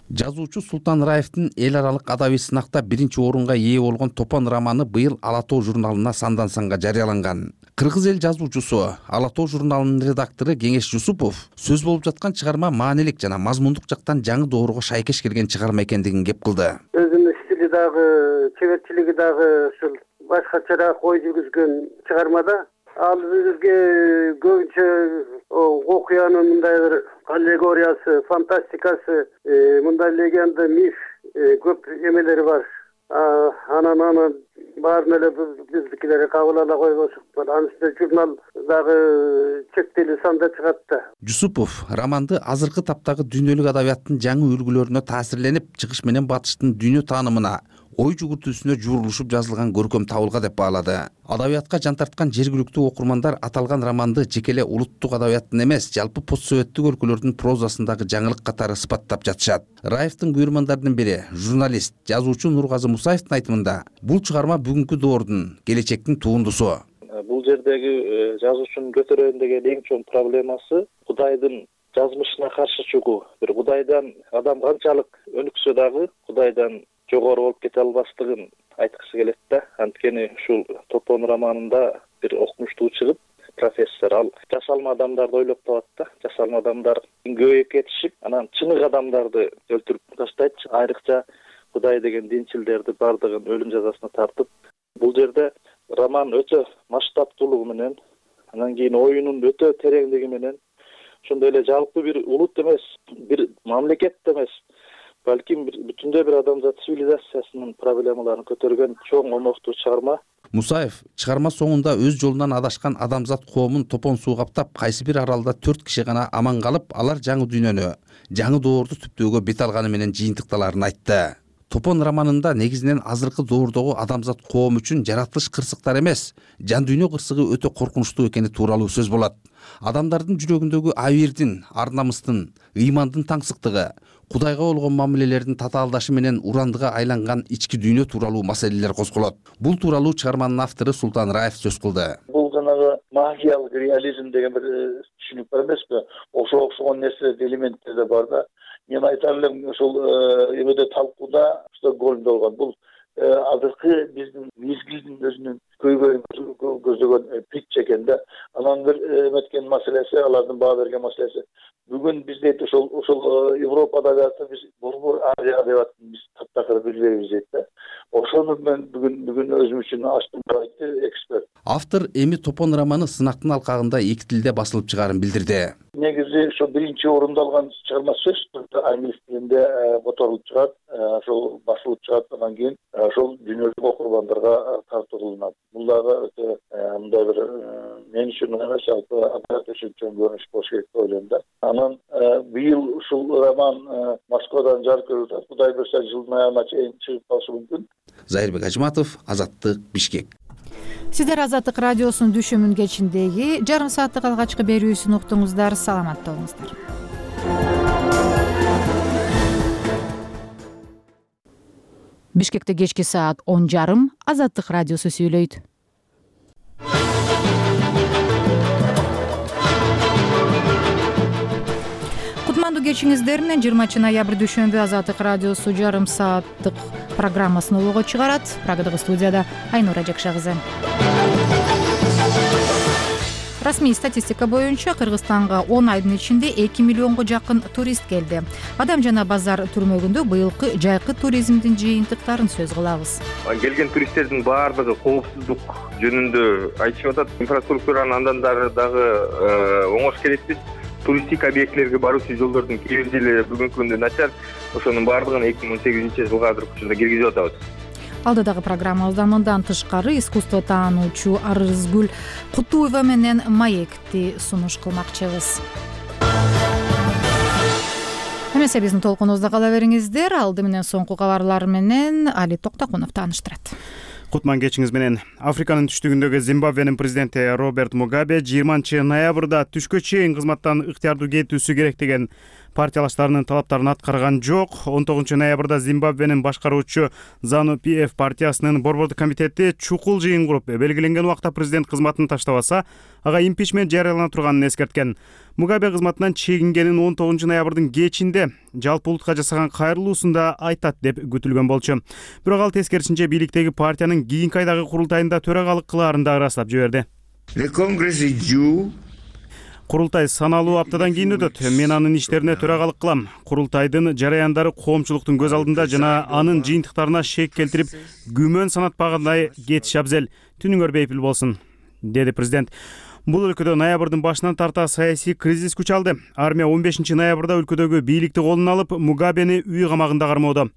Жазуучу Султан Раевдин эл аралык адабий сынакта биринчи орунга ээ болгон Топон романы быйыл Ала тоо журналына сандан санга жарыяланган. Кыргыз эл жазуучусу, Ала тоо журналынын редактору Кеңеш Жусупов сөз болуп жаткан чыгарма маанилик жана мазмундук жактан жаңы доорго шайкеш келген чыгарма экендигин кеп кылды. Өзүнүн стили дагы, чеберчилиги дагы ушул башкачараак ой жүргүзгөн чыгармада ал бизге көбүнчө окуянын мындай бир аллегориясы, фантастикасы, мындай легенда, миф көп эмелери бар. Анан анан баарын эле биздикилерге кабыл ала койбошук. Анын үстүнө журнал дагы чектелүү санда чыгат да. Жусупов романды азыркы таптагы дүйнөлүк адабияттын жаңы үлгүлөрүнө таасирленип, чыгыш менен батыштын дүйнө таанымына, ой жүгүртүүсүнө жуурулушуп жазылган көркөм табылга деп баалады. Адабиятка жан тарткан жергиликтүү окурмандар аталган романды жекеле улуттук адабияттын эмес, жалпы постсоветтик өлкөлөрдүн прозасындагы жаңылык катары сыпаттап жатышат. Раевдин күйөрмандардын бири, журналист, жазуучу Нургазы Мусаевдин айтымында, бул чыгарма бүгүнкү доордун, келечектин туындусу. Бул жердеги жазуучунун көтөрөйүн деген эң чоң проблемасы Кудайдын жазмышына каршы чыгуу. Бир Кудайдан адам канчалык өнүксө дагы Кудайдан жогору болуп кете албастыгын айткысы келет да. Анткени ушул Топон романында бир окумуштуу чыгып, профессор ал жасалма адамдарды ойлоп табат да. Жасалма адамдар көбөйүп кетишип, анан чыныгы адамдарды өлтүрүп таштайт. Айрыкча Кудай деген динчилдерди бардыгын өлүм жазасына тартып. Бул жерде роман өтө масштабтуулугу менен, анан кийин оюнун өтө тереңдиги менен, ошондой эле жалпы бир улут эмес, бир мамлекет эмес, балким бүтүндөй бир адамзат цивилизациясынын проблемаларын көтөргөн чоң омоктуу чыгарма. Мусаев чыгарма соңунда өз жолунан адашкан адамзат коомун Топон суу каптап, кайсы бир аралда төрт киши гана аман калып, алар жаңы дүйнөнү, жаңы доорду түптөөгө бет алганы менен жыйынтыкталарын айтты. Топон романында негизинен азыркы доордогу адамзат коом үчүн жаратылыш кырсыктар эмес, жан дүйнө кырсыгы өтө коркунучтуу экени тууралуу сөз болот. Адамдардын жүрөгүндөгү абийирдин, ар намыстын, ыймандын таңсыктыгы, Кудайга болгон мамилелердин татаалдашы менен урандыга айланган ички дүйнө тууралуу маселелер козголот. Бул тууралуу чыгарманын автору Султан Раев сөз кылды. Бул жанагы магиялык реализм деген бир түшүнүк бар эмеспи? Ошого окшогон нерсе, элементтер да бар да. Мен айтар элем ошол эмеде талкууда Стокгольмдо болгон. Бул азыркы биздин мезгилдин өзүнүн көйгөйүн көздөгөн пик экен да. Анан бир эметкен маселеси, алардын баа берген маселеси. Бүгүн биз дейт ошол ошол Европадагы биз Борбор Азия деп атып биз таптакыр билбейбиз дейт да. Ошону мен бүгүн бүгүн өзүм үчүн ачтым деп айтты эксперт. Автор эми Топон романы сынактын алкагында эки тилде басылып чыгаарын билдирди. Негизи ошо биринчи орунду алган чыгарма сөз англис тилинде которулуп чыгат, ошол басылып чыгат, андан кийин ошол дүйнөлүк окурмандарга тартууланат. Бул дагы өтө мындай бир мен үчүн эмес, жалпы адабият үчүн чоң көрүнүш болуш керек деп ойлойм да. Анан быйыл ушул роман Москвадан жарык көрүлүп атат. Кудай буйрса жылдын аягына чейин чыгып калышы мүмкүн. Зайырбек Ажматов, Азаттык, Бишкек. Сиздер Азаттык радиосунун Дүшүмүн кечиндеги жарым сааттык алгачкы берүүсүн уктуңуздар. Саламатта болуңуздар. Бишкекте кечки саат он жарым Азаттык радиосу сүйлөйт. Кутмандуу кечиңиздер менен жыйырманчы ноябрь дүйшөмбү Азаттык радиосу жарым сааттык программасын улууга чыгарат. Прагадагы студияда Айнура Жакша кызы. Расмий статистика боюнча Кыргызстанга он айдын ичинде эки миллионго жакын турист келди. Адам жана базар түрмөгүндө быйылкы жайкы туризмдин жыйынтыктарын сөз кылабыз. Келген туристтердин баардыгы коопсуздук жөнүндө айтышып атат. Инфраструктураны андан дагы оңош керекпиз. Туристик объектлерге баруучу жолдордун кээ бир жери бүгүнкү күндө начар. Ошонун баардыгын эки миң он сегизинчи жылга азыркы учурда киргизип атабыз. Алдыдагы программабыздан мындан тышкары искусство таануучу Арызгүл Кутуева менен маекти сунуш кылмакчыбыз. Эмесе биздин толкунубузда кала бериңиздер. Алды менен соңку кабарлар менен Али Токтокунов тааныштырат. Кутман кечиңиз менен. Африканын түштүгүндөгү Зимбабвенин президенти Роберт Мугабе жыйырманчы ноябрда түшкө чейин кызматтан ыктыярдуу кетүүсү керек деген партиялаштарынын талаптарын аткарган жок. он тогузунчу ноябрда Зимбабвенин башкаруучу Зану пи эф партиясынын борбордук комитети чукул жыйын куруп, белгиленген убакта президент кызматын таштабаса, ага импичмент жарыялана турганын эскерткен. Мугабе кызматынан чегингенин он тогузунчу ноябрдын кечинде жалпы улутка жасаган кайрылуусунда айтат деп күтүлгөн болчу. Бирок ал тескерисинче бийликтеги партиянын кийинки айдагы курултайында төрагалык кылаарын да ырастап жиберди. Курултай саналуу аптадан кийин өтөт. Мен анын иштерине төрагалык кылам. Курултайдын жараяндары коомчулуктун көз алдында жана анын жыйынтыктарына шек келтирип, күмөн санатпагандай кетиш абзел. Түнүңөр бейпил болсун, деди президент. Бул өлкөдө ноябрдын башынан тарта саясий кризис күч алды. Армия он бешинчи ноябрда өлкөдөгү бийликти колуна алып, Мугабени үй камагында кармоодо.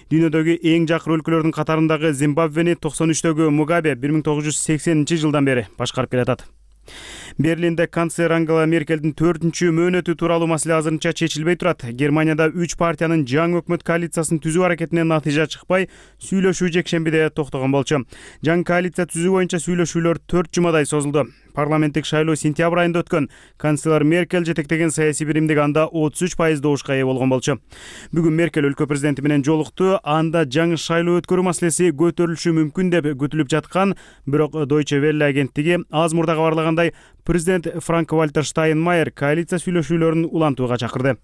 Дүйнөдөгү эң жакыр өлкөлөрдүн катарындагы Зимбабвени токсон үчтөгү Мугабе бир миң тогуз жүз сексенинчи жылдан бери башкарып келатат. Берлинде канцлер Ангела Меркелдин төртүнчү мөөнөтү тууралуу маселе азырынча чечилбей турат. Германияда үч партиянын жаңы өкмөт коалициясын түзүү аракетинен натыйжа чыкпай, сүйлөшүү жекшембиде токтогон болчу. Жаңы коалиция түзүү боюнча сүйлөшүүлөр төрт жумадай созулду. Парламенттик шайлоо сентябрь айында өткөн. Канцлер Меркель жетектеген саясий биримдик анда отуз үч пайыз добушка ээ болгон болчу. Бүгүн Меркель өлкө президенти менен жолукту. Анда жаңы шайлоо өткөрүү маселеси көтөрүлүшү мүмкүн деп күтүлүп жаткан, бирок Deutsche Welle агенттиги аз мурда кабарлагандай, президент Франк Вальтер Штайнмайер коалиция сүйлөшүүлөрүн улантууга чакырды.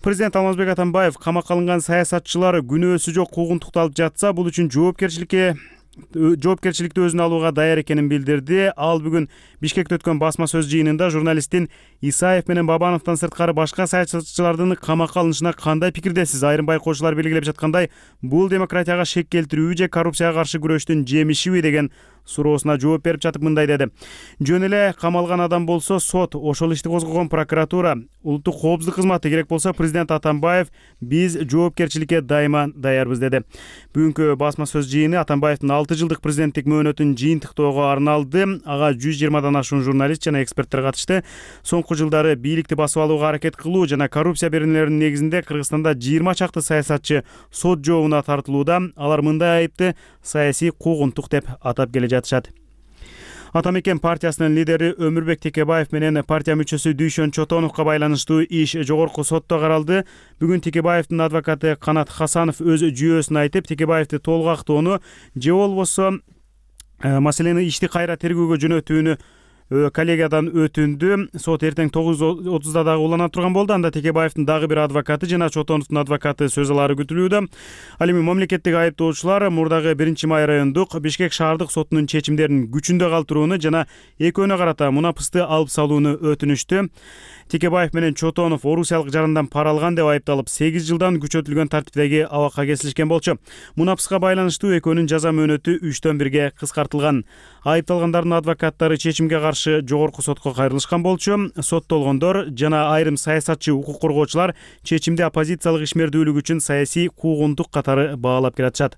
Президент Алмазбек Атамбаев камакка алынган саясатчылар күнөөсү жок куугунтукту алып жатса, бул үчүн жоопкерчиликке жоопкерчиликти өзүнө алууга даяр экенин билдирди. Ал бүгүн Бишкекте өткөн басма сөз жыйынында журналисттин Исаев менен Бабановдон сырткары башка саясатчылардын камакка алынышына кандай пикирдесиз? Айрым байкоочулар белгилеп жаткандай, бул демократияга шек келтирүү же коррупцияга каршы күрөштүн жемишиби деген суроосуна жооп берип жатып мындай деди. Жөн эле камалган адам болсо сот, ошол ишти козгогон прокуратура, улуттук коопсуздук кызматы, керек болсо президент Атамбаев, биз жоопкерчиликке дайыма даярбыз деди. Бүгүнкү басма сөз жыйыны Атамбаевдин алты жылдык президенттик мөөнөтүн жыйынтыктоого арналды. Ага жүз жыйырмадан ашуун журналист жана эксперттер катышты. Соңку жылдары бийликти басып алууга аракет кылуу жана коррупция беренелеринин негизинде Кыргызстанда жыйырма чакты саясатчы сот жообуна тартылууда. Алар мындай айыпты саясий куугунтук деп атап келе жатышат. Атамекен партиясынын лидери Өмүрбек Текебаев менен партия мүчөсү Дүйшөн Чотоновго байланыштуу иш жогорку сотто каралды. Бүгүн Текебаевдин адвокаты Канат Хасанов өз жүйөөсүн айтып, Текебаевди толук актоону же болбосо маселени ишти кайра тергөөгө жөнөтүүнү коллегиядан өтүндү. Сот эртең тогуз отузда дагы улана турган болду. Анда Текебаевдин дагы бир адвокаты жана Чотоновдун адвокаты сөз алары күтүлүүдө. Ал эми мамлекеттик айыптоочулар мурдагы биринчи май райондук Бишкек шаардык сотунун чечимдерин күчүндө калтырууну жана экөөнө карата мунапысты алып салууну өтүнүштү. Текебаев менен Чотонов орусиялык жарандан пара алган деп айыпталып, сегиз жылдан күчөтүлгөн тартиптеги абакка кесилишкен болчу. Мунапыска байланыштуу экөөнүн жаза мөөнөтү үчтөн бирге кыскартылган. Айыпталгандардын адвокаттары чечимге каршы жогорку сотко кайрылышкан болчу. Соттолгондор жана айрым саясатчы укук коргоочулар чечимди оппозициялык ишмердүүлүк үчүн саясий куугунтук катары баалап келатышат.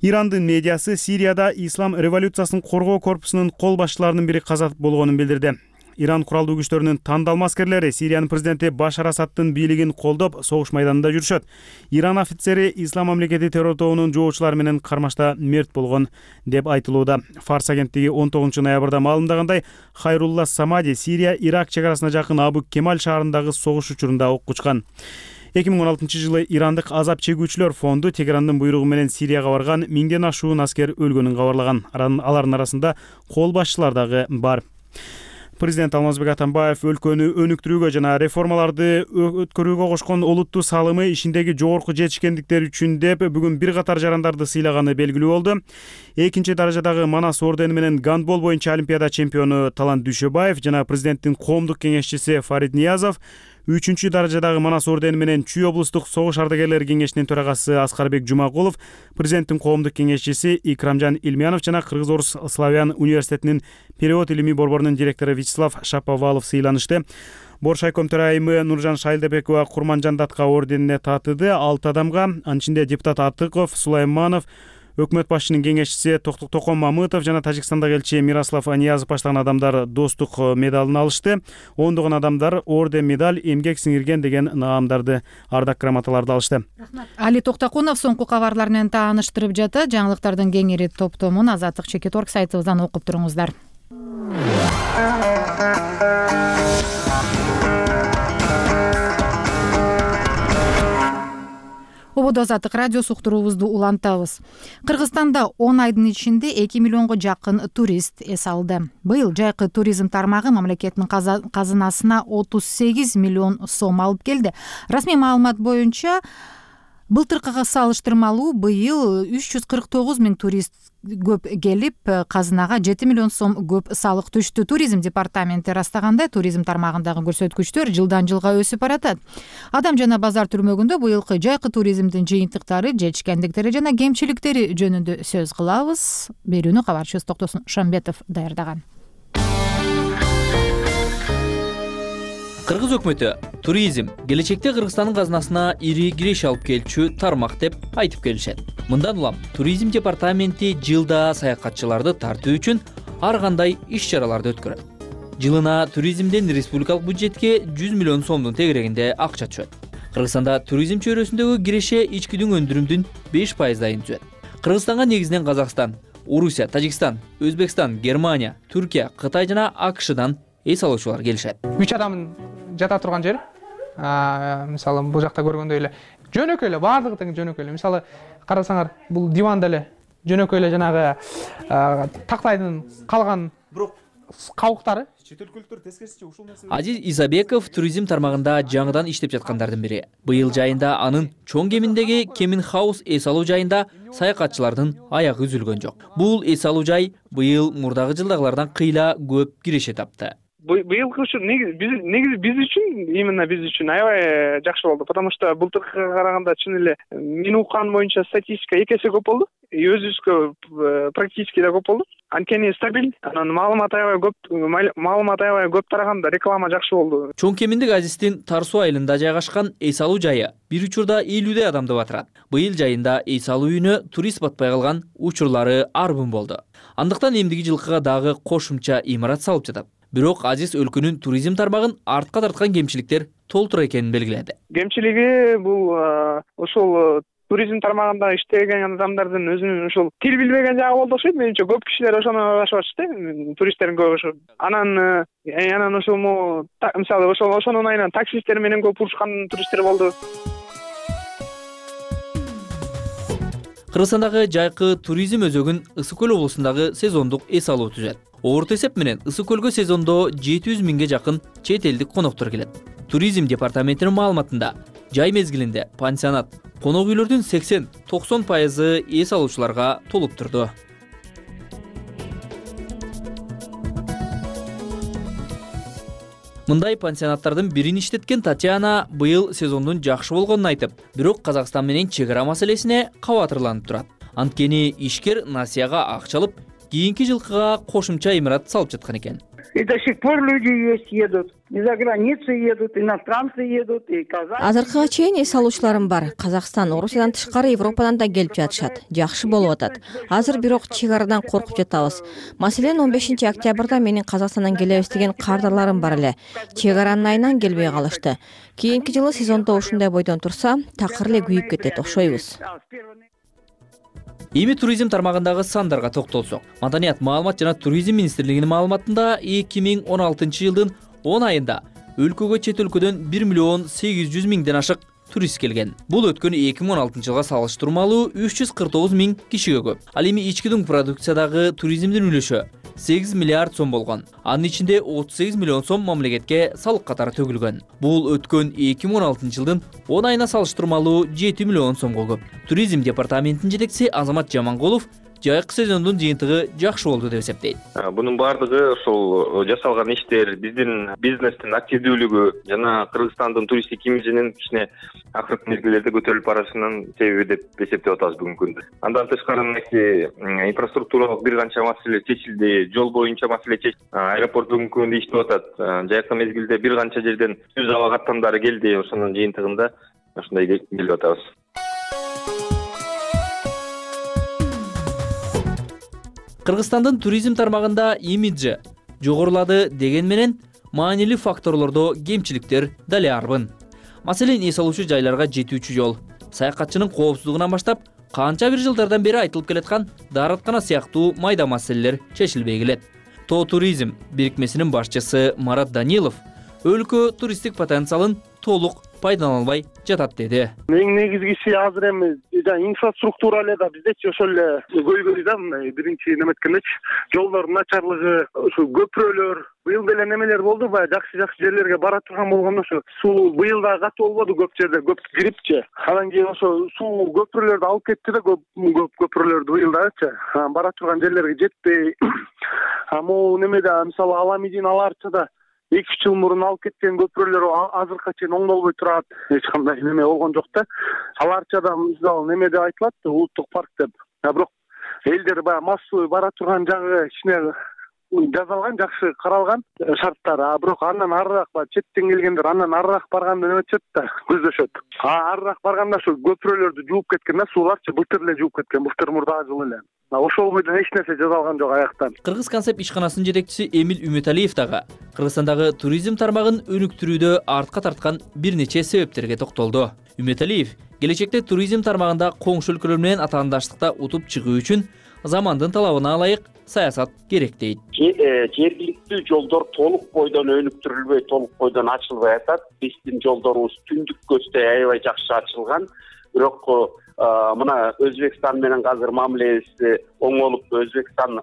Ирандын медиасы Сирияда ислам революциясын коргоо корпусунун кол башчыларынын бири каза болгонун билдирди. Иран куралдуу күчтөрүнүн тандалма аскерлери Сириянын президенти Башар Асадтын бийлигин колдоп, согуш майданында жүрүшөт. Иран офицери Ислам мамлекети террор тобунун жоочулары менен кармашта мерт болгон деп айтылууда. Фарс агенттиги он тогузунчу ноябрда маалымдагандай, Хайрулла Самади Сирия Ирак чек арасына жакын Абу Кемаль шаарындагы согуш учурунда ок учкан. эки миң он алтынчы жылы ирандык азап чегүүчүлөр фонду Тегерандын буйругу менен Сирияга барган миңден ашуун аскер өлгөнүн кабарлаган. Алардын арасында кол башчылар дагы бар. Президент Алмазбек Атамбаев өлкөнү өнүктүрүүгө жана реформаларды өткөрүүгө кошкон олуттуу салымы ишиндеги жогорку жетишкендиктери үчүн деп бүгүн бир катар жарандарды сыйлаганы белгилүү болду. Экинчи даражадагы Манас ордени менен гандбол боюнча Олимпиада чемпиону Талант Дүйшөбаев жана президенттин коомдук кеңешчиси Фарид Ниязов, үчүнчү даражадагы Манас ордени менен Чүй облустук согуш ардагерлери кеңешинин төрагасы Аскарбек Жумагулов, президенттин коомдук кеңешчиси Икрамжан Илмянов жана Кыргыз-Орус Славян университетинин перевод илимий борборунун директору Вячеслав Шаповалов сыйланышты. Бош айком төрайымы Нуржан Шайлдабекова Курманжан Датка орденине татыды. алты адамга, анын ичинде депутат Атыков, Сулайманов, өкмөт башчынын кеңешчиси Токтук Токон Мамытов жана Тажикстандагы элчи Мирослав Аниязов баштаган адамдар достук медалын алышты. Ондогон адамдар орден, медаль, эмгек сиңирген деген наамдарды, ардак грамоталарды алышты. Али Токтакунов соңку кабарлар менен тааныштырып жатат. Жаңылыктардын кеңири топтомун Азаттык чекит точка орг сайтыбыздан окуп туруңуздар. Ободо Азаттык радиосу уктуруубузду улантабыз. Кыргызстанда он айдын ичинде эки миллионго жакын турист эс алды. Быйыл жайкы туризм тармагы мамлекеттин казынасына отуз сегиз миллион сом алып келди. Расмий маалымат боюнча былтыркыга салыштырмалуу быйыл үч жүз кырк тогуз миң турист көп келип, казынага жети миллион сом көп салык түштү. Туризм департаменти ырастагандай, туризм тармагындагы көрсөткүчтөр жылдан жылга өсүп баратат. Адам жана базар түрмөгүндө быйылкы жайкы туризмдин жыйынтыктары, жетишкендиктери жана кемчиликтери жөнүндө сөз кылабыз. Берүүнү кабарчыбыз Токтосун Шамбетов даярдаган. Кыргыз өкмөтү туризм келечекте Кыргызстандын казынасына ири киреш алып келчү тармак деп айтып келишет. Мындан улам туризм департаменти жылда саякатчыларды тартуу үчүн ар кандай иш-чараларды өткөрөт. Жылына туризмден республикалык бюджетке жүз миллион сомдун тегерегинде акча түшөт. Кыргызстанда туризм чөйрөсүндөгү киреше ичкидүн өндүрүмдүн беш пайыздайын түзөт. Кыргызстанга негизинен Казакстан, Орусия, Тажикстан, Өзбекстан, Германия, Түркия, Кытай жана АКШдан эс алуучулар келишет. үч адамдын жата турган жер. Мисалы, бул жакта көргөндөй эле жөнөкөй эле, баардыгы тең жөнөкөй эле. Мисалы, карасаңар, бул диван деле жөнөкөй эле жанагы тактайдын калган кабыктары. Чет өлкөлүктөр тескерисинче ушул нерсе. Азиз Исабеков туризм тармагында жаңыдан иштеп жаткандардын бири. Быйыл жайында анын чоң кеминдеги Кемин Хаус эс алуу жайында саякатчылардын аягы үзүлгөн жок. Бул эс алуу жай быйыл мурдагы жылдагылардан кыйла көп киреше тапты. Быйылкы ушу негизи биз үчүн, именно биз үчүн аябай жакшы болду, потому что былтыркыга караганда чын эле мен уккан боюнча статистика эки эсе көп болду. Өзүбүзгө практически да көп болду. Анткени стабиль, анан маалымат аябай көп, маалымат аябай көп тараганда реклама жакшы болду. Чоң кеминдик Азиздин Тар суу айылында жайгашкан эс алуу жайы бир учурда элүүдөй адамды батырат. Быйыл жайында эс алуу үйүнө турист батпай калган учурлары арбын болду. Андыктан эмдиги жылкыга дагы кошумча имарат салып жатат. Бирок Азиз өлкөнүн туризм тармагын артка тарткан кемчиликтер толтура экенин белгиледи. Кемчилиги бул ошол туризм тармагында иштеген адамдардын өзүнүн ушул тил билбеген жагы болду окшойт. Менимче көп кишилер ошону аралашып атышты, туристтердин көбү ошо. Анан анан ошол мисалы ошол ошонун айынан таксисттер менен көп урушкан туристтер болду. Кыргызстандагы жайкы туризм өзөгүн Ысык көл облусундагы сезондук эс алуу түзөт. Орто эсеп менен Ысык көлгө сезондо жети жүз миңге жакын чет элдик коноктор келет. Туризм департаментинин маалыматында жай мезгилинде пансионат, конок үйлөрдүн сексен токсон пайызы эс алуучуларга толуп турду. Мындай пансионаттардын бирин иштеткен Татьяна быйыл сезондун жакшы болгонун айтып, бирок Казакстан менен чек ара маселесине кабатырланып турат. Анткени ишкер Насияга акча алып, кийинки жылкыга кошумча имарат салып жаткан экен. И до сих пор люди есть, едут. И за границу едут, иностранцы едут, и казахи. Азыркыга чейин эс алуучуларым бар. Казакстан, Орусиядан тышкары Европадан да келип жатышат. Жакшы болуп атат. Азыр бирок чек арадан коркуп жатабыз. Маселен, он бешинчи октябрда менин Казакстандан келебиз деген кардарларым бар эле. Чек аранын айынан келбей калышты. Кийинки жылы сезондо ушундай бойдон турса, такыр эле күйүп кетет окшойбуз. Эми туризм тармагындагы сандарга токтолсок. Маданият, маалымат жана туризм министрлигинин маалыматында эки миң он алтынчы жылдын он айында өлкөгө чет өлкөдөн бир миллион сегиз жүз миңден ашык турист келген. Бул өткөн эки миң он алтынчы жылга салыштырмалуу үч жүз кырк тогуз миң кишиге көп. Ал эми ички дүң продукциядагы туризмдин үлүшү сегиз миллиард сом болгон. Анын ичинде отуз сегиз миллион сом мамлекетке салык катары төгүлгөн. Бул өткөн эки миң он алтынчы жылдын он айына салыштырмалуу жети миллион сомго көп. Туризм департаментинин жетекчиси Азамат Жамангулов жайкы сезондун жыйынтыгы жакшы болду деп эсептейт. Бунун баардыгы ошол жасалган иштер, биздин бизнестин активдүүлүгү жана Кыргызстандын туристтик имиджинин кичине акыркы мезгилдерде көтөрүлүп барышынын себеби деп эсептеп атабыз бүгүнкү күндө. Андан тышкары инфраструктуралык бир канча маселе чечилди, жол боюнча маселе чечилди. Аэропорт бүгүнкү күндө иштеп атат. Жайкы мезгилде бир канча жерден түз аба каттамдары келди. Ошонун жыйынтыгында ушундай келип атабыз. Кыргызстандын туризм тармагында имиджи жогорулады деген менен маанилүү факторлордо кемчиликтер дале арбын. Маселен, эс алуучу жайларга жетүүчү жол, саякатчынын коопсуздугунан баштап, канча бир жылдардан бери айтылып келаткан даараткана сыяктуу майда маселелер чечилбей келет. Тоо туризм бирикмесинин башчысы Марат Данилов өлкө туристтик потенциалын толук пайдалана албай жатат деди. Эң негизгиси азыр эми инфраструктура эле да биздечи ошол эле көйгөй да, мындай биринчи неметкендечи жолдордун начарлыгы, ошо көпүрөлөр, быйыл деле немелер болду, баягы жакшы-жакшы жерлерге бара турган болгондо ошо суу быйыл да катуу болбоду көп жерде, көп кирипчи. Анан кийин ошо суу көпүрөлөрдү алып кетти да, көп көп көпүрөлөрдү быйыл дачы бара турган жерлерге жетпей. А могу немеде мисалы Аламидин аларчада эки үч жыл мурун алып кеткен көпүрөлөр азыркыга чейин оңдолбой турат. Эч кандай неме болгон жок да. Аларчада мисалы неме деп айтылат, улуттук парк деп. А бирок элдер баягы массовый бара турган жагы кичине жазалган, жакшы каралган шарттар. А бирок андан арыраак баягы четтен келгендер андан арыраак барганды неметишет да, көздөшөт. А арыраак барганда ошо көпүрөлөрдү жууп кеткен да, сууларчы былтыр эле жууп кеткен, былтыр мурдагы жылы эле. Ошол бойдон эч нерсе жазалган жок аяктан. Кыргыз концепт ишканасынын жетекчиси Эмил Үмөталиев дагы Кыргызстандагы туризм тармагын өнүктүрүүдө артка тарткан бир нече себептерге токтолду. Үмөталиев келечекте туризм тармагында коңшу өлкөлөр менен атаандаштыкта утуп чыгуу үчүн замандын талабына ылайык саясат керек дейт. Жергиликтүү жолдор толук бойдон өнүктүрүлбөй, толук бойдон ачылбай атат. Биздин жолдорубуз түндүк көздөй аябай жакшы ачылган. Бирок мына Өзбекстан менен азыр мамилебиз оңолуп, Өзбекстан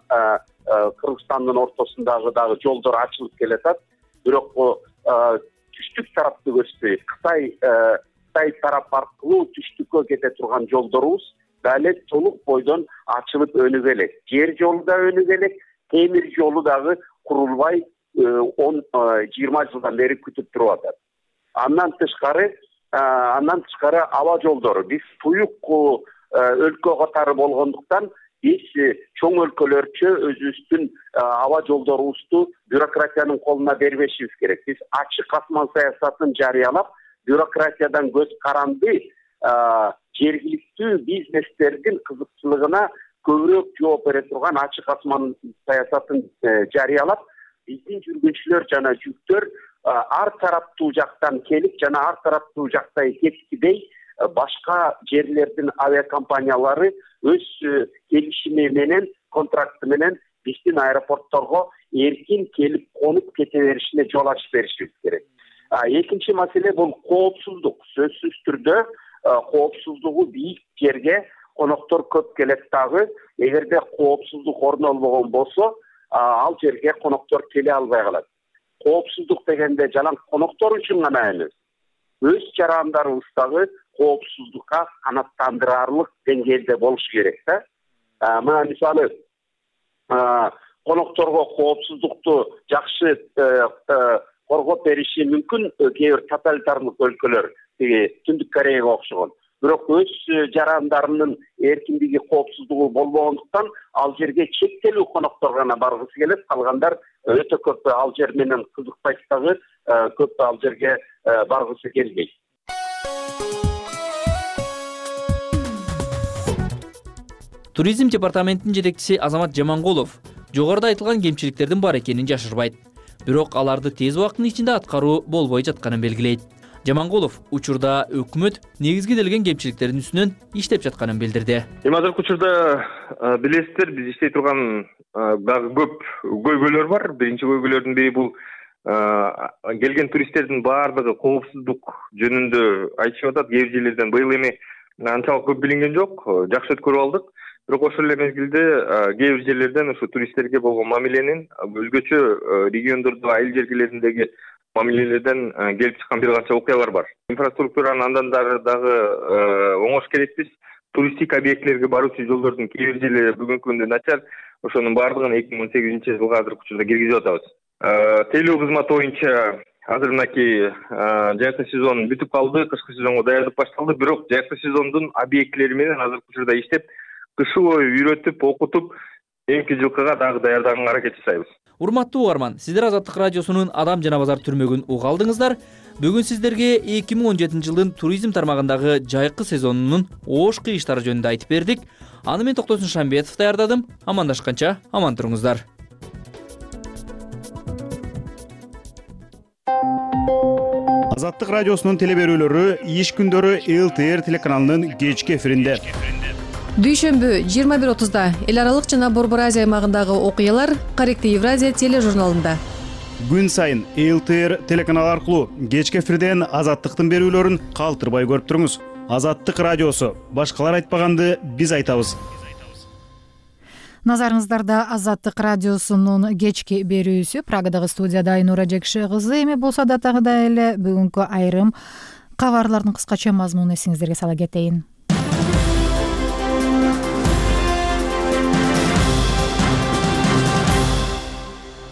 Кыргызстандын ортосундагы дагы жолдор ачылып келатат. Бирок түштүк тарапты көздөй, Кытай Кытай тарап аркылуу түштүккө кете турган жолдорубуз дале толук бойдон ачылып өнүгө элек. Жер жолу да өнүгө элек, темир жолу дагы курулбай он жыйырма жылдан бери күтүп туруп атат. Андан тышкары Андан тышкары аба жолдору. Биз туюк өлкө катары болгондуктан биз чоң өлкөлөрчө өзүбүздүн аба жолдорубузду бюрократиянын колуна бербешибиз керек. Биз ачык асман саясатын жарыялап, бюрократиядан көз каранды жергиликтүү бизнестердин кызыкчылыгына көбүрөөк жооп бере турган ачык асман саясатын жарыялап, биздин жүргүнчүлөр жана жүктөр ар тараптуу жактан келип жана ар тараптуу жактай кеткидей башка жерлердин авиакомпаниялары өз келишими менен, контракты менен биздин аэропортторго эркин келип конуп кете беришине жол ачып беришибиз керек. Экинчи маселе бул коопсуздук. Сөзсүз түрдө коопсуздугу бийик жерге коноктор көп келет дагы. Эгерде коопсуздук орнолбогон болсо, ал жерге коноктор келе албай калат. Коопсуздук дегенде жалаң коноктор үчүн гана эмес, өз жарандарыбыздагы коопсуздукка канааттандырарлык деңгээлде болуш керек да. Мына мисалы конокторго коопсуздукту жакшы коргоп бериши мүмкүн кээ бир тоталитардык өлкөлөр, тиги Түндүк Кореяга окшогон. Бирок өз жарандарынын эркиндиги, коопсуздугу болбогондуктан ал жерге чектелүү коноктор гана баргысы келет, калгандар өтө көп ал жер менен кызыкпайт дагы, көп ал жерге баргысы келбейт. Туризм департаментинин жетекчиси Азамат Жамангулов жогоруда айтылган кемчиликтердин бар экенин жашырбайт. Бирок аларды тез убакыттын ичинде аткаруу болбой жатканын белгилейт. Жамангулов учурда өкмөт негизгиделген кемчиликтердин үстүнөн иштеп жатканын билдирди. Эми азыркы учурда билесиздер, биз иштей турган дагы көп көйгөйлөр бар. Биринчи көйгөйлөрдүн бири бул келген туристтердин баардыгы коопсуздук жөнүндө айтышып атат. Кээ бир жерлерден быйыл эми анчалык көп билинген жок, жакшы өткөрүп алдык. Бирок ошол эле мезгилде кээ бир жерлерден ушу туристтерге болгон мамиленин өзгөчө региондордо, айыл жергелериндеги мамилелерден келип чыккан бир канча окуялар бар. Инфраструктуранын андан дагы оңош керекпиз. Туристтик объектлерге баруучу жолдордун кээ бир жерлери бүгүнкү күндө начар. Ошонун баардыгын эки миң он сегизинчи жылга азыркы учурда киргизип атабыз. Тейлөө кызматы боюнча азыр мынакей жайкы сезон бүтүп калды, кышкы сезонго даярдык башталды. Бирок жайкы сезондун объектлери менен азыркы учурда иштеп, кышы бою үйрөтүп, окутуп, эмки жылкыга дагы даярдаганга аракет жасайбыз. Урматтуу угарман, сиздер Азаттык радиосунун Адам жана базар түрмөгүн уга алдыңыздар. Бүгүн сиздерге эки миң он жетинчи жылдын туризм тармагындагы жайкы сезонунун ош кыйыштары жөнүндө айтып бердик. Аны мен Токтосун Шамбетов даярдадым. Амандашканча аман туруңуздар. Азаттык радиосунун телеберүүлөрү иш күндөрү эл тэ эр телеканалынын кечки эфиринде. Дүйшөмбү жыйырма бир отузда эл аралык жана Борбор Азия аймагындагы окуялар Каректи Евразия тележурналында. Күн сайын эл тэ эр телеканалы аркылуу кечки эфирден Азаттыктын берүүлөрүн калтырбай көрүп туруңуз. Азаттык радиосу, башкалар айтпаганды биз айтабыз. Назарыңыздарда Азаттык радиосунун кечки берүүсү. Прагадагы студияда Айнура Жекши кызы. Эми болсо да тагыда эле бүгүнкү айрым кабарлардын кыскача мазмунун эсиңиздерге сала кетейин.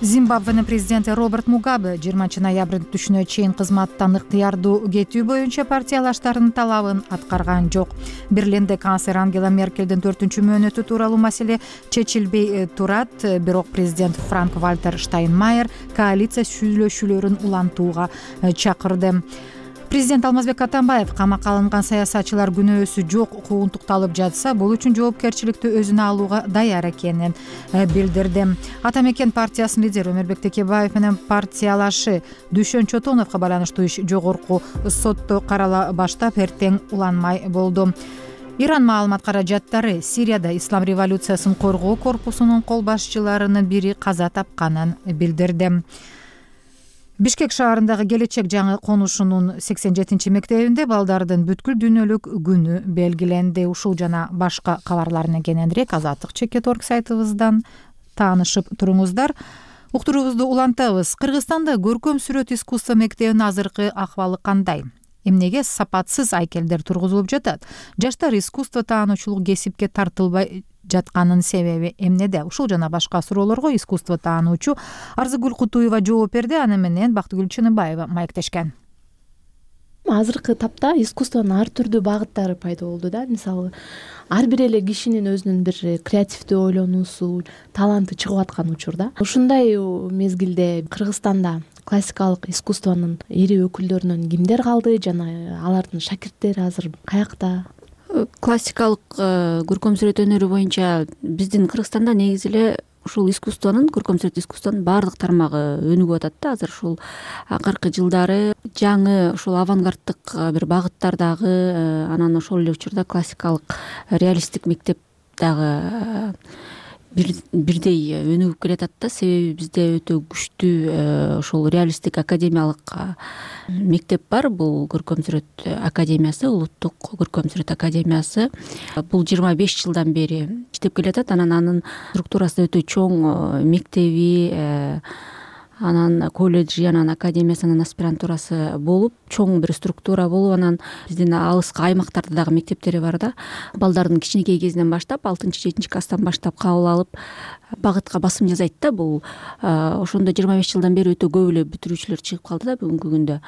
Зимбабвенин президенти Роберт Мугабе жыйырманчы ноябрдын түшүнө чейин кызматтан ыктыярдуу кетүү боюнча партиялаштарынын талабын аткарган жок. Берлинде канцлер Ангела Меркелдин төртүнчү мөөнөтү тууралуу маселе чечилбей турат. Бирок президент Франк Вальтер Штайнмайер коалиция сүйлөшүүлөрүн улантууга чакырды. Президент Алмазбек Атамбаев камакка алынган саясатчылар күнөөсү жок куугунтукталып жатса, бул үчүн жоопкерчиликти өзүнө алууга даяр экенин билдирди. Ата мекен партиясынын лидери Өмөрбек Текебаев менен партиялашы Дүйшөн Чотоновго байланыштуу иш жогорку сотто карала баштап эртең уланмай болду. Иран маалымат каражаттары Сирияда ислам революциясын коргоо корпусунун кол башчыларынын бири каза тапканын билдирди. Бишкек шаарындагы Келечек жаңы конушунун сексен жетинчи мектебинде балдардын бүткүл дүйнөлүк күнү белгиленди. Ушул жана башка кабарлардын кененирээк Азаттык чекит точка орг сайтыбыздан таанышып туруңуздар. Уктуруубузду улантабыз. Кыргызстанда көркөм сүрөт искусство мектебинин азыркы акыбалы кандай? Эмнеге сапатсыз айкелдер тургузулуп жатат? Жаштар искусство таануучулук кесипке тартылбай жатканын себеби эмнеде? Ушул жана башка суроолорго искусство таануучу Арзыгүл Кутуева жооп берди. Аны менен Бактыгүл Чыныбаева маектешкен. Азыркы тапта искусствонун ар түрдүү багыттары пайда болду да. Мисалы, ар бир эле кишинин өзүнүн бир креативдүү ойлонуусу, таланты чыгып аткан учурда. Ушундай мезгилде Кыргызстанда классикалык искусствонун ири өкүлдөрүнөн кимдер калды жана алардын шакирттери азыр каякта? Классикалык көркөм сүрөт өнөрү боюнча биздин Кыргызстанда негизи эле ушул искусствонун, көркөм сүрөт искусствонун баардык тармагы өнүгүп атат да. Азыр ушул акыркы жылдары жаңы ушул авангарддык бир багыттардагы, анан ошол эле учурда классикалык реалисттик мектеп дагы бирдей өнүгүп келатат да. Себеби бизде өтө күчтүү ошол реалисттик академиялык мектеп бар. Бул көркөм сүрөт академиясы, улуттук көркөм сүрөт академиясы. Бул жыйырма беш жылдан бери иштеп келатат. Анан анын структурасы өтө чоң, мектеби, анан колледжи, анан академиясы, анан аспирантурасы болуп, чоң бир структура болуп, анан биздин алыскы аймактарда дагы мектептери бар да. Балдардын кичинекей кезинен баштап, алтынчы жетинчи класстан баштап кабыл алып, багытка басым жасайт да. Бул ошондо жыйырма беш жылдан бери өтө көп эле бүтүрүүчүлөр чыгып калды да бүгүнкү күндө.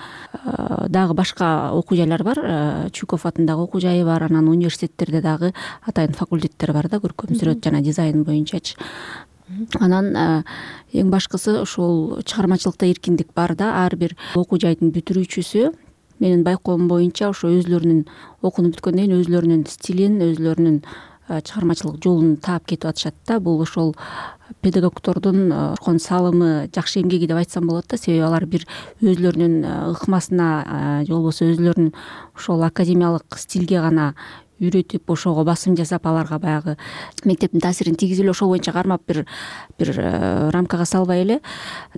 Дагы башка окуу жайлар бар, Чуков атындагы окуу жайы бар, анан университеттерде дагы атайын факультеттер бар да, көркөм сүрөт жана дизайн боюнчачы. Анан эң башкысы ошол чыгармачылыкта эркиндик бар да. Ар бир окуу жайдын бүтүрүүчүсү менин байкоом боюнча ошо өзлөрүнүн окууну бүткөндөн кийин өзлөрүнүн стилин, өзлөрүнүн чыгармачылык жолун таап кетип атышат да. Бул ошол педагогдордун кошкон салымы, жакшы эмгеги деп айтсам болот да. Себеби алар бир өзлөрүнүн ыкмасына же болбосо өзлөрүнүн ошол академиялык стилге гана үйрөтүп, ошого басым жасап, аларга баягы мектептин таасирин тийгизип эле ошол боюнча кармап бир бир рамкага салбай эле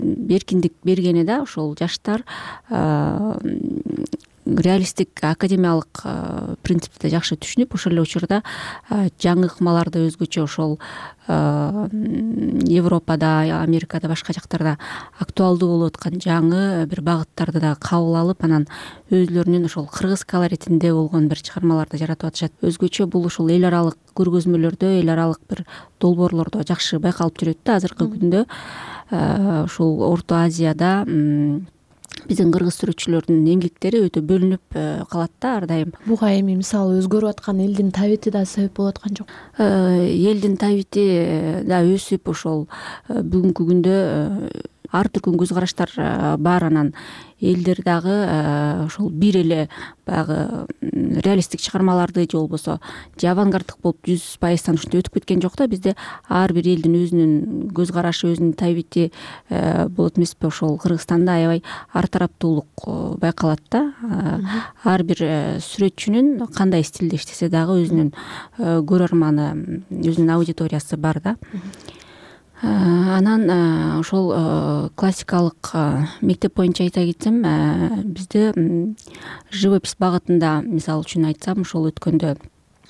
эркиндик бергени да. Ошол жаштар реалисттик академиялык принципти жакшы түшүнүп, ошол эле учурда жаңы ыкмаларды өзгөчө ошол Европада, Америкада, башка жактарда актуалдуу болуп аткан жаңы бир багыттарды да кабыл алып, анан өзлөрүнүн ошол кыргыз колоритинде болгон бир чыгармаларды жаратып атышат. Өзгөчө бул ошол эл аралык көргөзмөлөрдө, эл аралык бир долбоорлордо жакшы байкалып жүрөт да. Азыркы күндө ушул Орто Азияда биздин кыргыз сүрөтчүлөрдүн эмгектери өтө бөлүнүп калат да ар дайым. Буга эми мисалы өзгөрүп аткан элдин табити да себеп болуп аткан жок? Элдин табити да өсүп, ошол бүгүнкү күндө ар түркүн көз караштар бар. Анан элдер дагы ошол бир эле баягы реалисттик чыгармаларды же болбосо же авангарддык болуп жүз пайыздан ушинтип өтүп кеткен жок да. Бизде ар бир элдин өзүнүн көз карашы, өзүнүн табити болот эмеспи? Ошол Кыргызстанда аябай ар тараптуулук байкалат да. Ар бир сүрөтчүнүн кандай стилде иштесе дагы өзүнүн көрөрманы, өзүнүн аудиториясы бар да. Анан ошол классикалык мектеп боюнча айта кетсем, бизде живопись багытында, мисалы үчүн айтсам, ошол өткөндө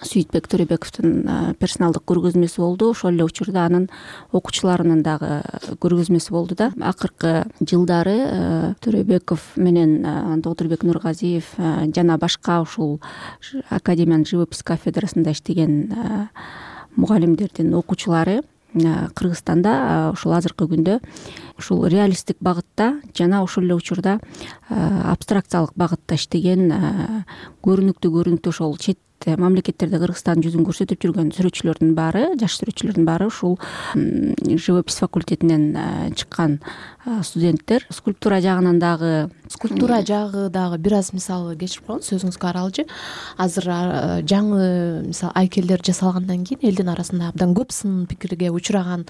Сүйүтбек Төрөбековдун персоналдык көргөзмөсү болду. Ошол эле учурда анын окуучуларынын дагы көргөзмөсү болду да. Акыркы жылдары Төрөбеков менен Доктурбек Нургазиев жана башка ушул академиянын живопись кафедрасында иштеген мугалимдердин окуучулары Кыргызстанда ушул азыркы күндө ушул реалисттик багытта жана ошол эле учурда абстракциялык багытта иштеген көрүнүктүү көрүнүктүү ошол чет мамлекеттерде Кыргызстандын жүзүн көрсөтүп жүргөн сүрөтчүлөрдүн баары, жаш сүрөтчүлөрдүн баары ушул живопись факультетинен чыккан студенттер. Скульптура жагынан дагы скульптура жагы дагы бир аз мисалы кечирип коюңуз, сөзүңүзгө аралжы. Азыр жаңы мисалы айкелдер жасалгандан кийин элдин арасында абдан көп сын пикирге учураган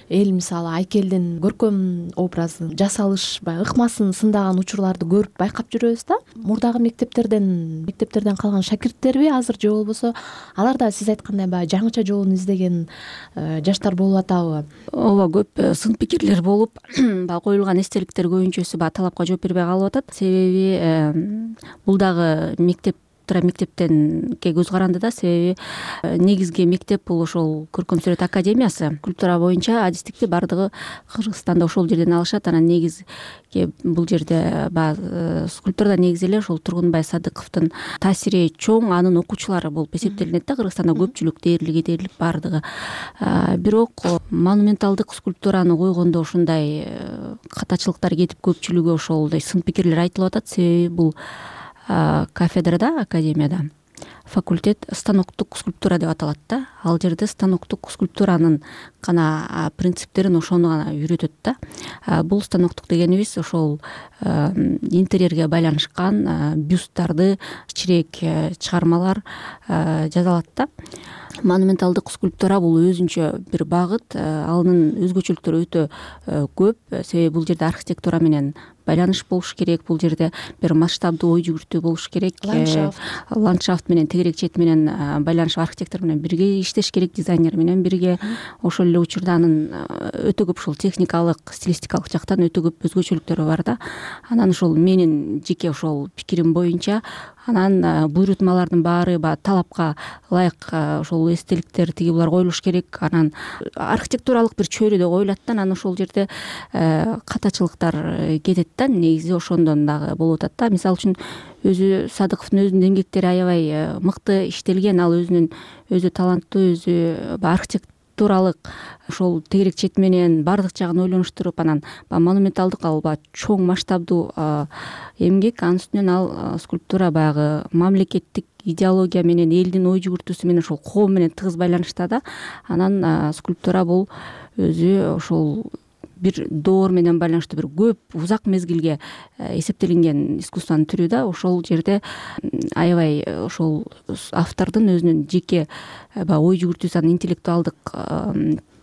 эл мисалы айкелдин көркөм образын, жасалыш, баягы ыкмасын сындаган учурларды көрүп байкап жүрөбүз да. Мурдагы мектептерден мектептерден калган шакирттерби азыр же болбосо алар да сиз айткандай баягы жаңыча жолун издеген жаштар болуп атабы? Ооба, көп сын пикирлер болуп, баягы коюлган эстеликтер көбүнчөсү баягы талапка жооп бербей калып атат. Себеби бул дагы мектеп мектептенке көз каранды да. Себеби негизги мектеп бул ошол көркөм сүрөт академиясы. Скульптура боюнча адистикти бардыгы Кыргызстанда ошол жерден алышат. Анан негизги бул жерде баягы скульптурада негизи эле ошол Тургунбай Садыковдун таасири чоң, анын окуучулары болуп эсептелинет да. Кыргызстанда көпчүлүк дээрлик дээрлик бардыгы. Бирок монументалдык скульптураны койгондо ушундай катачылыктар кетип, көпчүлүгү ошолдой сын пикирлер айтылып атат. Себеби бул кафедрада, академияда факультет станоктук скульптура деп аталат да. Ал жерде станоктук скульптуранын гана принциптерин, ошону гана үйрөтөт да. Бул станоктук дегенибиз ошол интерьерге байланышкан бюсттарды, кичирээк чыгармалар жасалат да. монументалдык скульптура бул өзүнчө бир багыт, анын өзгөчөлүктөрү өтө көп. Себеби бул жерде архитектура менен байланыш болуш керек, бул жерде бир масштабдуу ой жүгүртүү болуш керек, ландшафт ландшафт менен тегерек чет менен байланыш, архитектор менен бирге иштеш керек, дизайнер менен бирге. Ошол эле учурда анын өтө көп ушул техникалык, стилистикалык жактан өтө көп өзгөчөлүктөрү бар да. Анан ошол менин жеке ошол пикирим боюнча анан буйрутмалардын баары баягы талапка ылайык ошол эстеликтер тиги булар коюлуш керек. Анан архитектуралык бир чөйрөдө коюлат да, анан ошол жерде катачылыктар кетет да, негизи ошондон дагы болуп атат да. Мисалы үчүн өзү Садыковдун өзүнүн эмгектери аябай мыкты иштелген, ал өзүнүн өзү таланттуу, өзү архитектуралык ошол тегерек чет менен баардык жагын ойлонуштуруп, анан баягы монументалдык, ал баягы чоң масштабдуу эмгек. Анын үстүнөн ал скульптура баягы мамлекеттик идеология менен, элдин ой жүгүртүүсү менен, ошол коом менен тыгыз байланышта да. Анан скульптура бул өзү ошол бир доор менен байланыштуу, бир көп узак мезгилге эсептелинген искусствонун түрү да. Ошол жерде аябай ошол автордун өзүнүн жеке баягы ой жүгүртүүсү, анын интеллектуалдык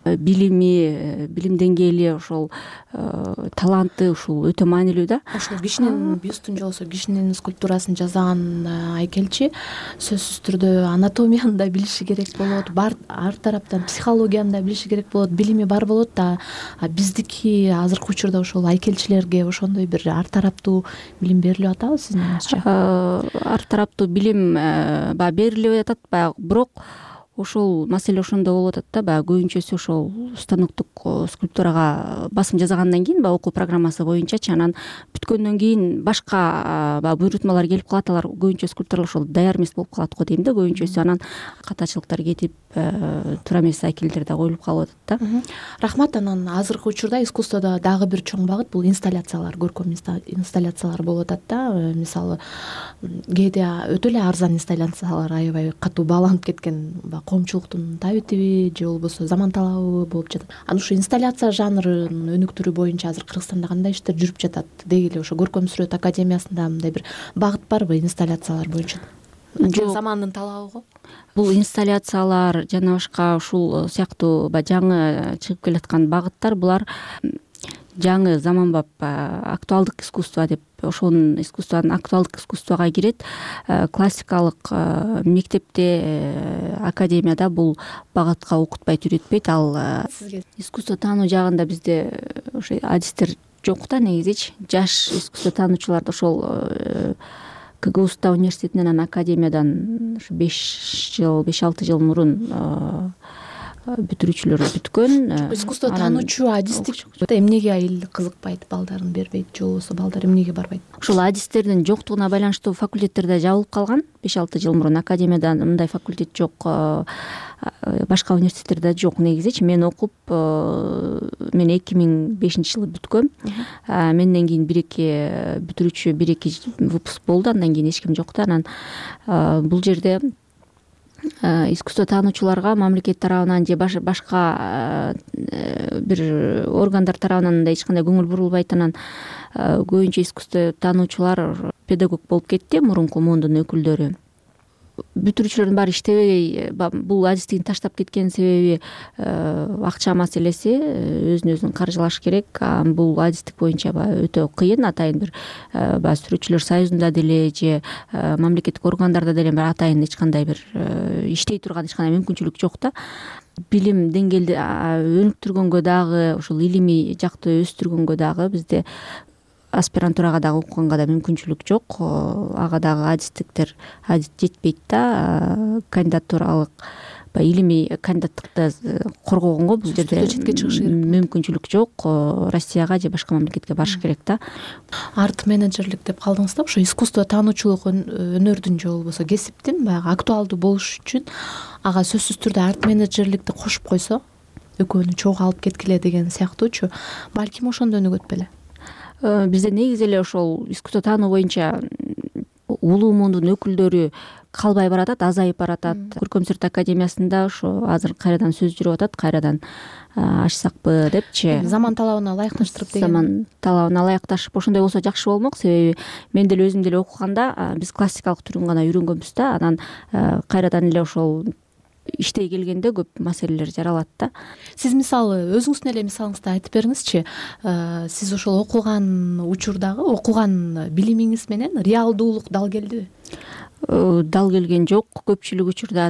билими, билим деңгээли, ошол таланты ушул өтө маанилүү да. Ошол кишинин бюстун же болбосо кишинин скульптурасын жасаган айкелчи сөзсүз түрдө анатомияны да билиши керек болот, ар тараптан психологияны да билиши керек болот, билими бар болот да. Биздики азыркы учурда ошол айкелчилерге ошондой бир ар тараптуу билим берилип атабы сиздин оюңузча? Ар тараптуу билим баягы берилип атат, баягы бирок ошол маселе ошондо болуп атат да. Баягы көбүнчөсү ошол станоктук скульптурага басым жасагандан кийин баягы окуу программасы боюнчачы, анан бүткөндөн кийин башка баягы буйрутмалар келип калат. Алар көбүнчө скульптурлар ошол даяр эмес болуп калат го дейм да, көбүнчөсү. Анан катачылыктар кетип, туура эмес айкелдер да коюлуп калып атат да. Рахмат. Анан азыркы учурда искусстводо дагы бир чоң багыт бул инсталляциялар, көркөм инсталляциялар болуп атат да. Мисалы кээде өтө эле арзан инсталляциялар, аябай катуу бааланып кеткен коомчулуктун табитиби же болбосо заман талабы болуп жатат. Анан ушу инсталляция жанрынын өнүктүрүү боюнча азыр Кыргызстанда кандай иштер жүрүп жатат? Деги эле ошо Көркөм сүрөт академиясында мындай бир багыт барбы инсталляциялар боюнча? Жок, замандын талабы го. Бул инсталляциялар жана башка ушул сыяктуу баягы жаңы чыгып келаткан багыттар, булар жаңы заманбап актуалдык искусство деп, ошонун искусствонун актуалдык искусствого кирет. Классикалык мектепте, академияда бул багытка окутпайт, үйрөтпөйт. Ал искусство таануу жагында бизде ошо адистер жок да негизичи. Жаш искусство таануучуларды ошол КГУста университетинен, анан академиядан ушу беш жыл, беш алты жыл мурун бүтүрүүчүлөр бүткөн. Искусство таануучу адистик эмнеге эл кызыкпайт, балдарын бербейт же болбосо балдар эмнеге барбайт? Ушул адистердин жоктугуна байланыштуу факультеттерде жабылып калган. беш алты жыл мурун академияда мындай факультет жок, башка университеттерде жок негизичи. Мен окуп, мен эки миң бешинчи жылы бүткөм. Менден кийин бир эки бүтүрүүчү, бир эки выпуск болду, андан кийин эч ким жок да. Анан бул жерде искусство таануучуларга мамлекет тарабынан же башка бир органдар тарабынан да эч кандай көңүл бурулбайт. Анан көбүнчө искусство таануучулар педагог болуп кетти, мурунку муундун өкүлдөрү. Бүтүрүүчүлөрдүн баары иштебей бул адистигин таштап кеткен себеби акча маселеси, өзүн өзүн каржылаш керек. Бул адистик боюнча өтө кыйын, атайын бир баягы сүрөтчүлөр союзунда деле же мамлекеттик органдарда деле бир атайын эч кандай бир иштей турган эч кандай мүмкүнчүлүк жок да. Билим деңгээлди өнүктүргөнгө дагы, ошол илимий жакты өстүргөнгө дагы бизде аспирантурага дагы окуганга да мүмкүнчүлүк жок. Ага дагы адистиктер адис жетпейт да. Кандидатуралык баягы илимий кандидаттыкты коргогонго бул жерде мүмкүнчүлүк жок. Россияга же башка мамлекетке барыш керек да. Арт менеджерлик деп калдыңыз да. Ошо искусство таануучулук өнөрдүн же болбосо кесиптин баягы актуалдуу болуш үчүн ага сөзсүз түрдө арт менеджерликти кошуп койсо, экөөнү чогуу алып кеткиле деген сыяктуучу, балким ошондо өнүгөт беле? Бизде негизи эле ошол искусство таануу боюнча улуу муундун өкүлдөрү калбай баратат, азайып баратат. Көркөм сүрөт академиясында ошо азыр кайрадан сөз жүрүп атат, кайрадан ачсакпы депчи. Заман талабына ылайыкташтырып деген. Заман талабына ылайыкташып ошондой болсо жакшы болмок. Себеби мен деле өзүм деле окуганда биз классикалык түрүн гана үйрөнгөнбүз да. Анан кайрадан эле ошол иштей келгенде көп маселелер жаралат да. Сиз мисалы өзүңүздүн эле мисалыңызды айтып бериңизчи. Сиз ошол окуган учурдагы окуган билимиңиз менен реалдуулук дал келдиби? Дал келген жок көпчүлүк учурда,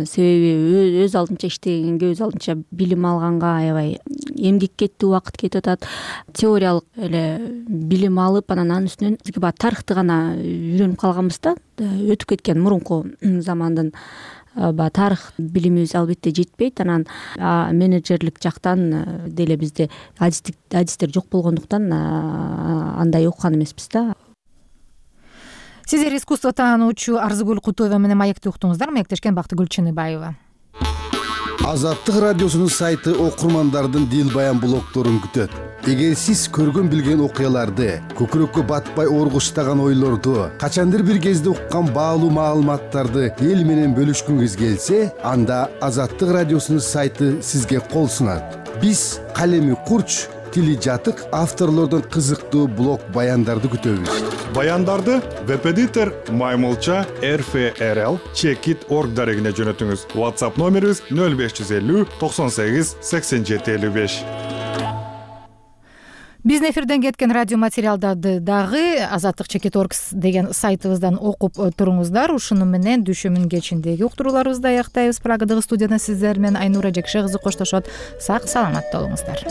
себеби өз алдынча иштегенге, өз алдынча билим алганга аябай эмгек кетти, убакыт кетип атат. Теориялык эле билим алып, анан анын үстүнөн бизге баягы тарыхты гана үйрөнүп калганбыз да. Өтүп кеткен мурунку замандын баягы тарых билимибиз албетте жетпейт. Анан менеджерлик жактан деле бизде адистик адистер жок болгондуктан андай окуган эмеспиз да. Сиздер искусство таануучу Арзыгүл Кутуева менен маекти уктуңуздар. Маектешкен Бактыгүл Чыныбаева. Азаттык радиосунун сайты окурмандардын дил баян блогдорун күтөт. Эгер сиз көргөн билген окуяларды, көкүрөккө батпай оргуштаган ойлорду, качандыр бир кезде уккан баалуу маалыматтарды эл менен бөлүшкүңүз келсе, анда Азаттык радиосунун сайты сизге кол сунат. Биз калеми курч, тили жатык авторлордон кызыктуу блог баяндарды күтөбүз. Баяндарды веб-эдитор Маймылча эр эф эр эл чекит точка орг дарегине жөнөтүңүз. WhatsApp номерибиз нөл беш жүз элүү токсон сегиз сексен жети элүү беш. Биздин эфирден кеткен радио материалдарды дагы азаттык чекит точка орг деген сайтыбыздан окуп туруңуздар. Ушуну менен дүйшөмүн кечиндеги уктурууларыбызды аяктайбыз. Прагадагы студияда сиздер менен Айнура Жекше кызы коштошот. Сак саламатта болуңуздар.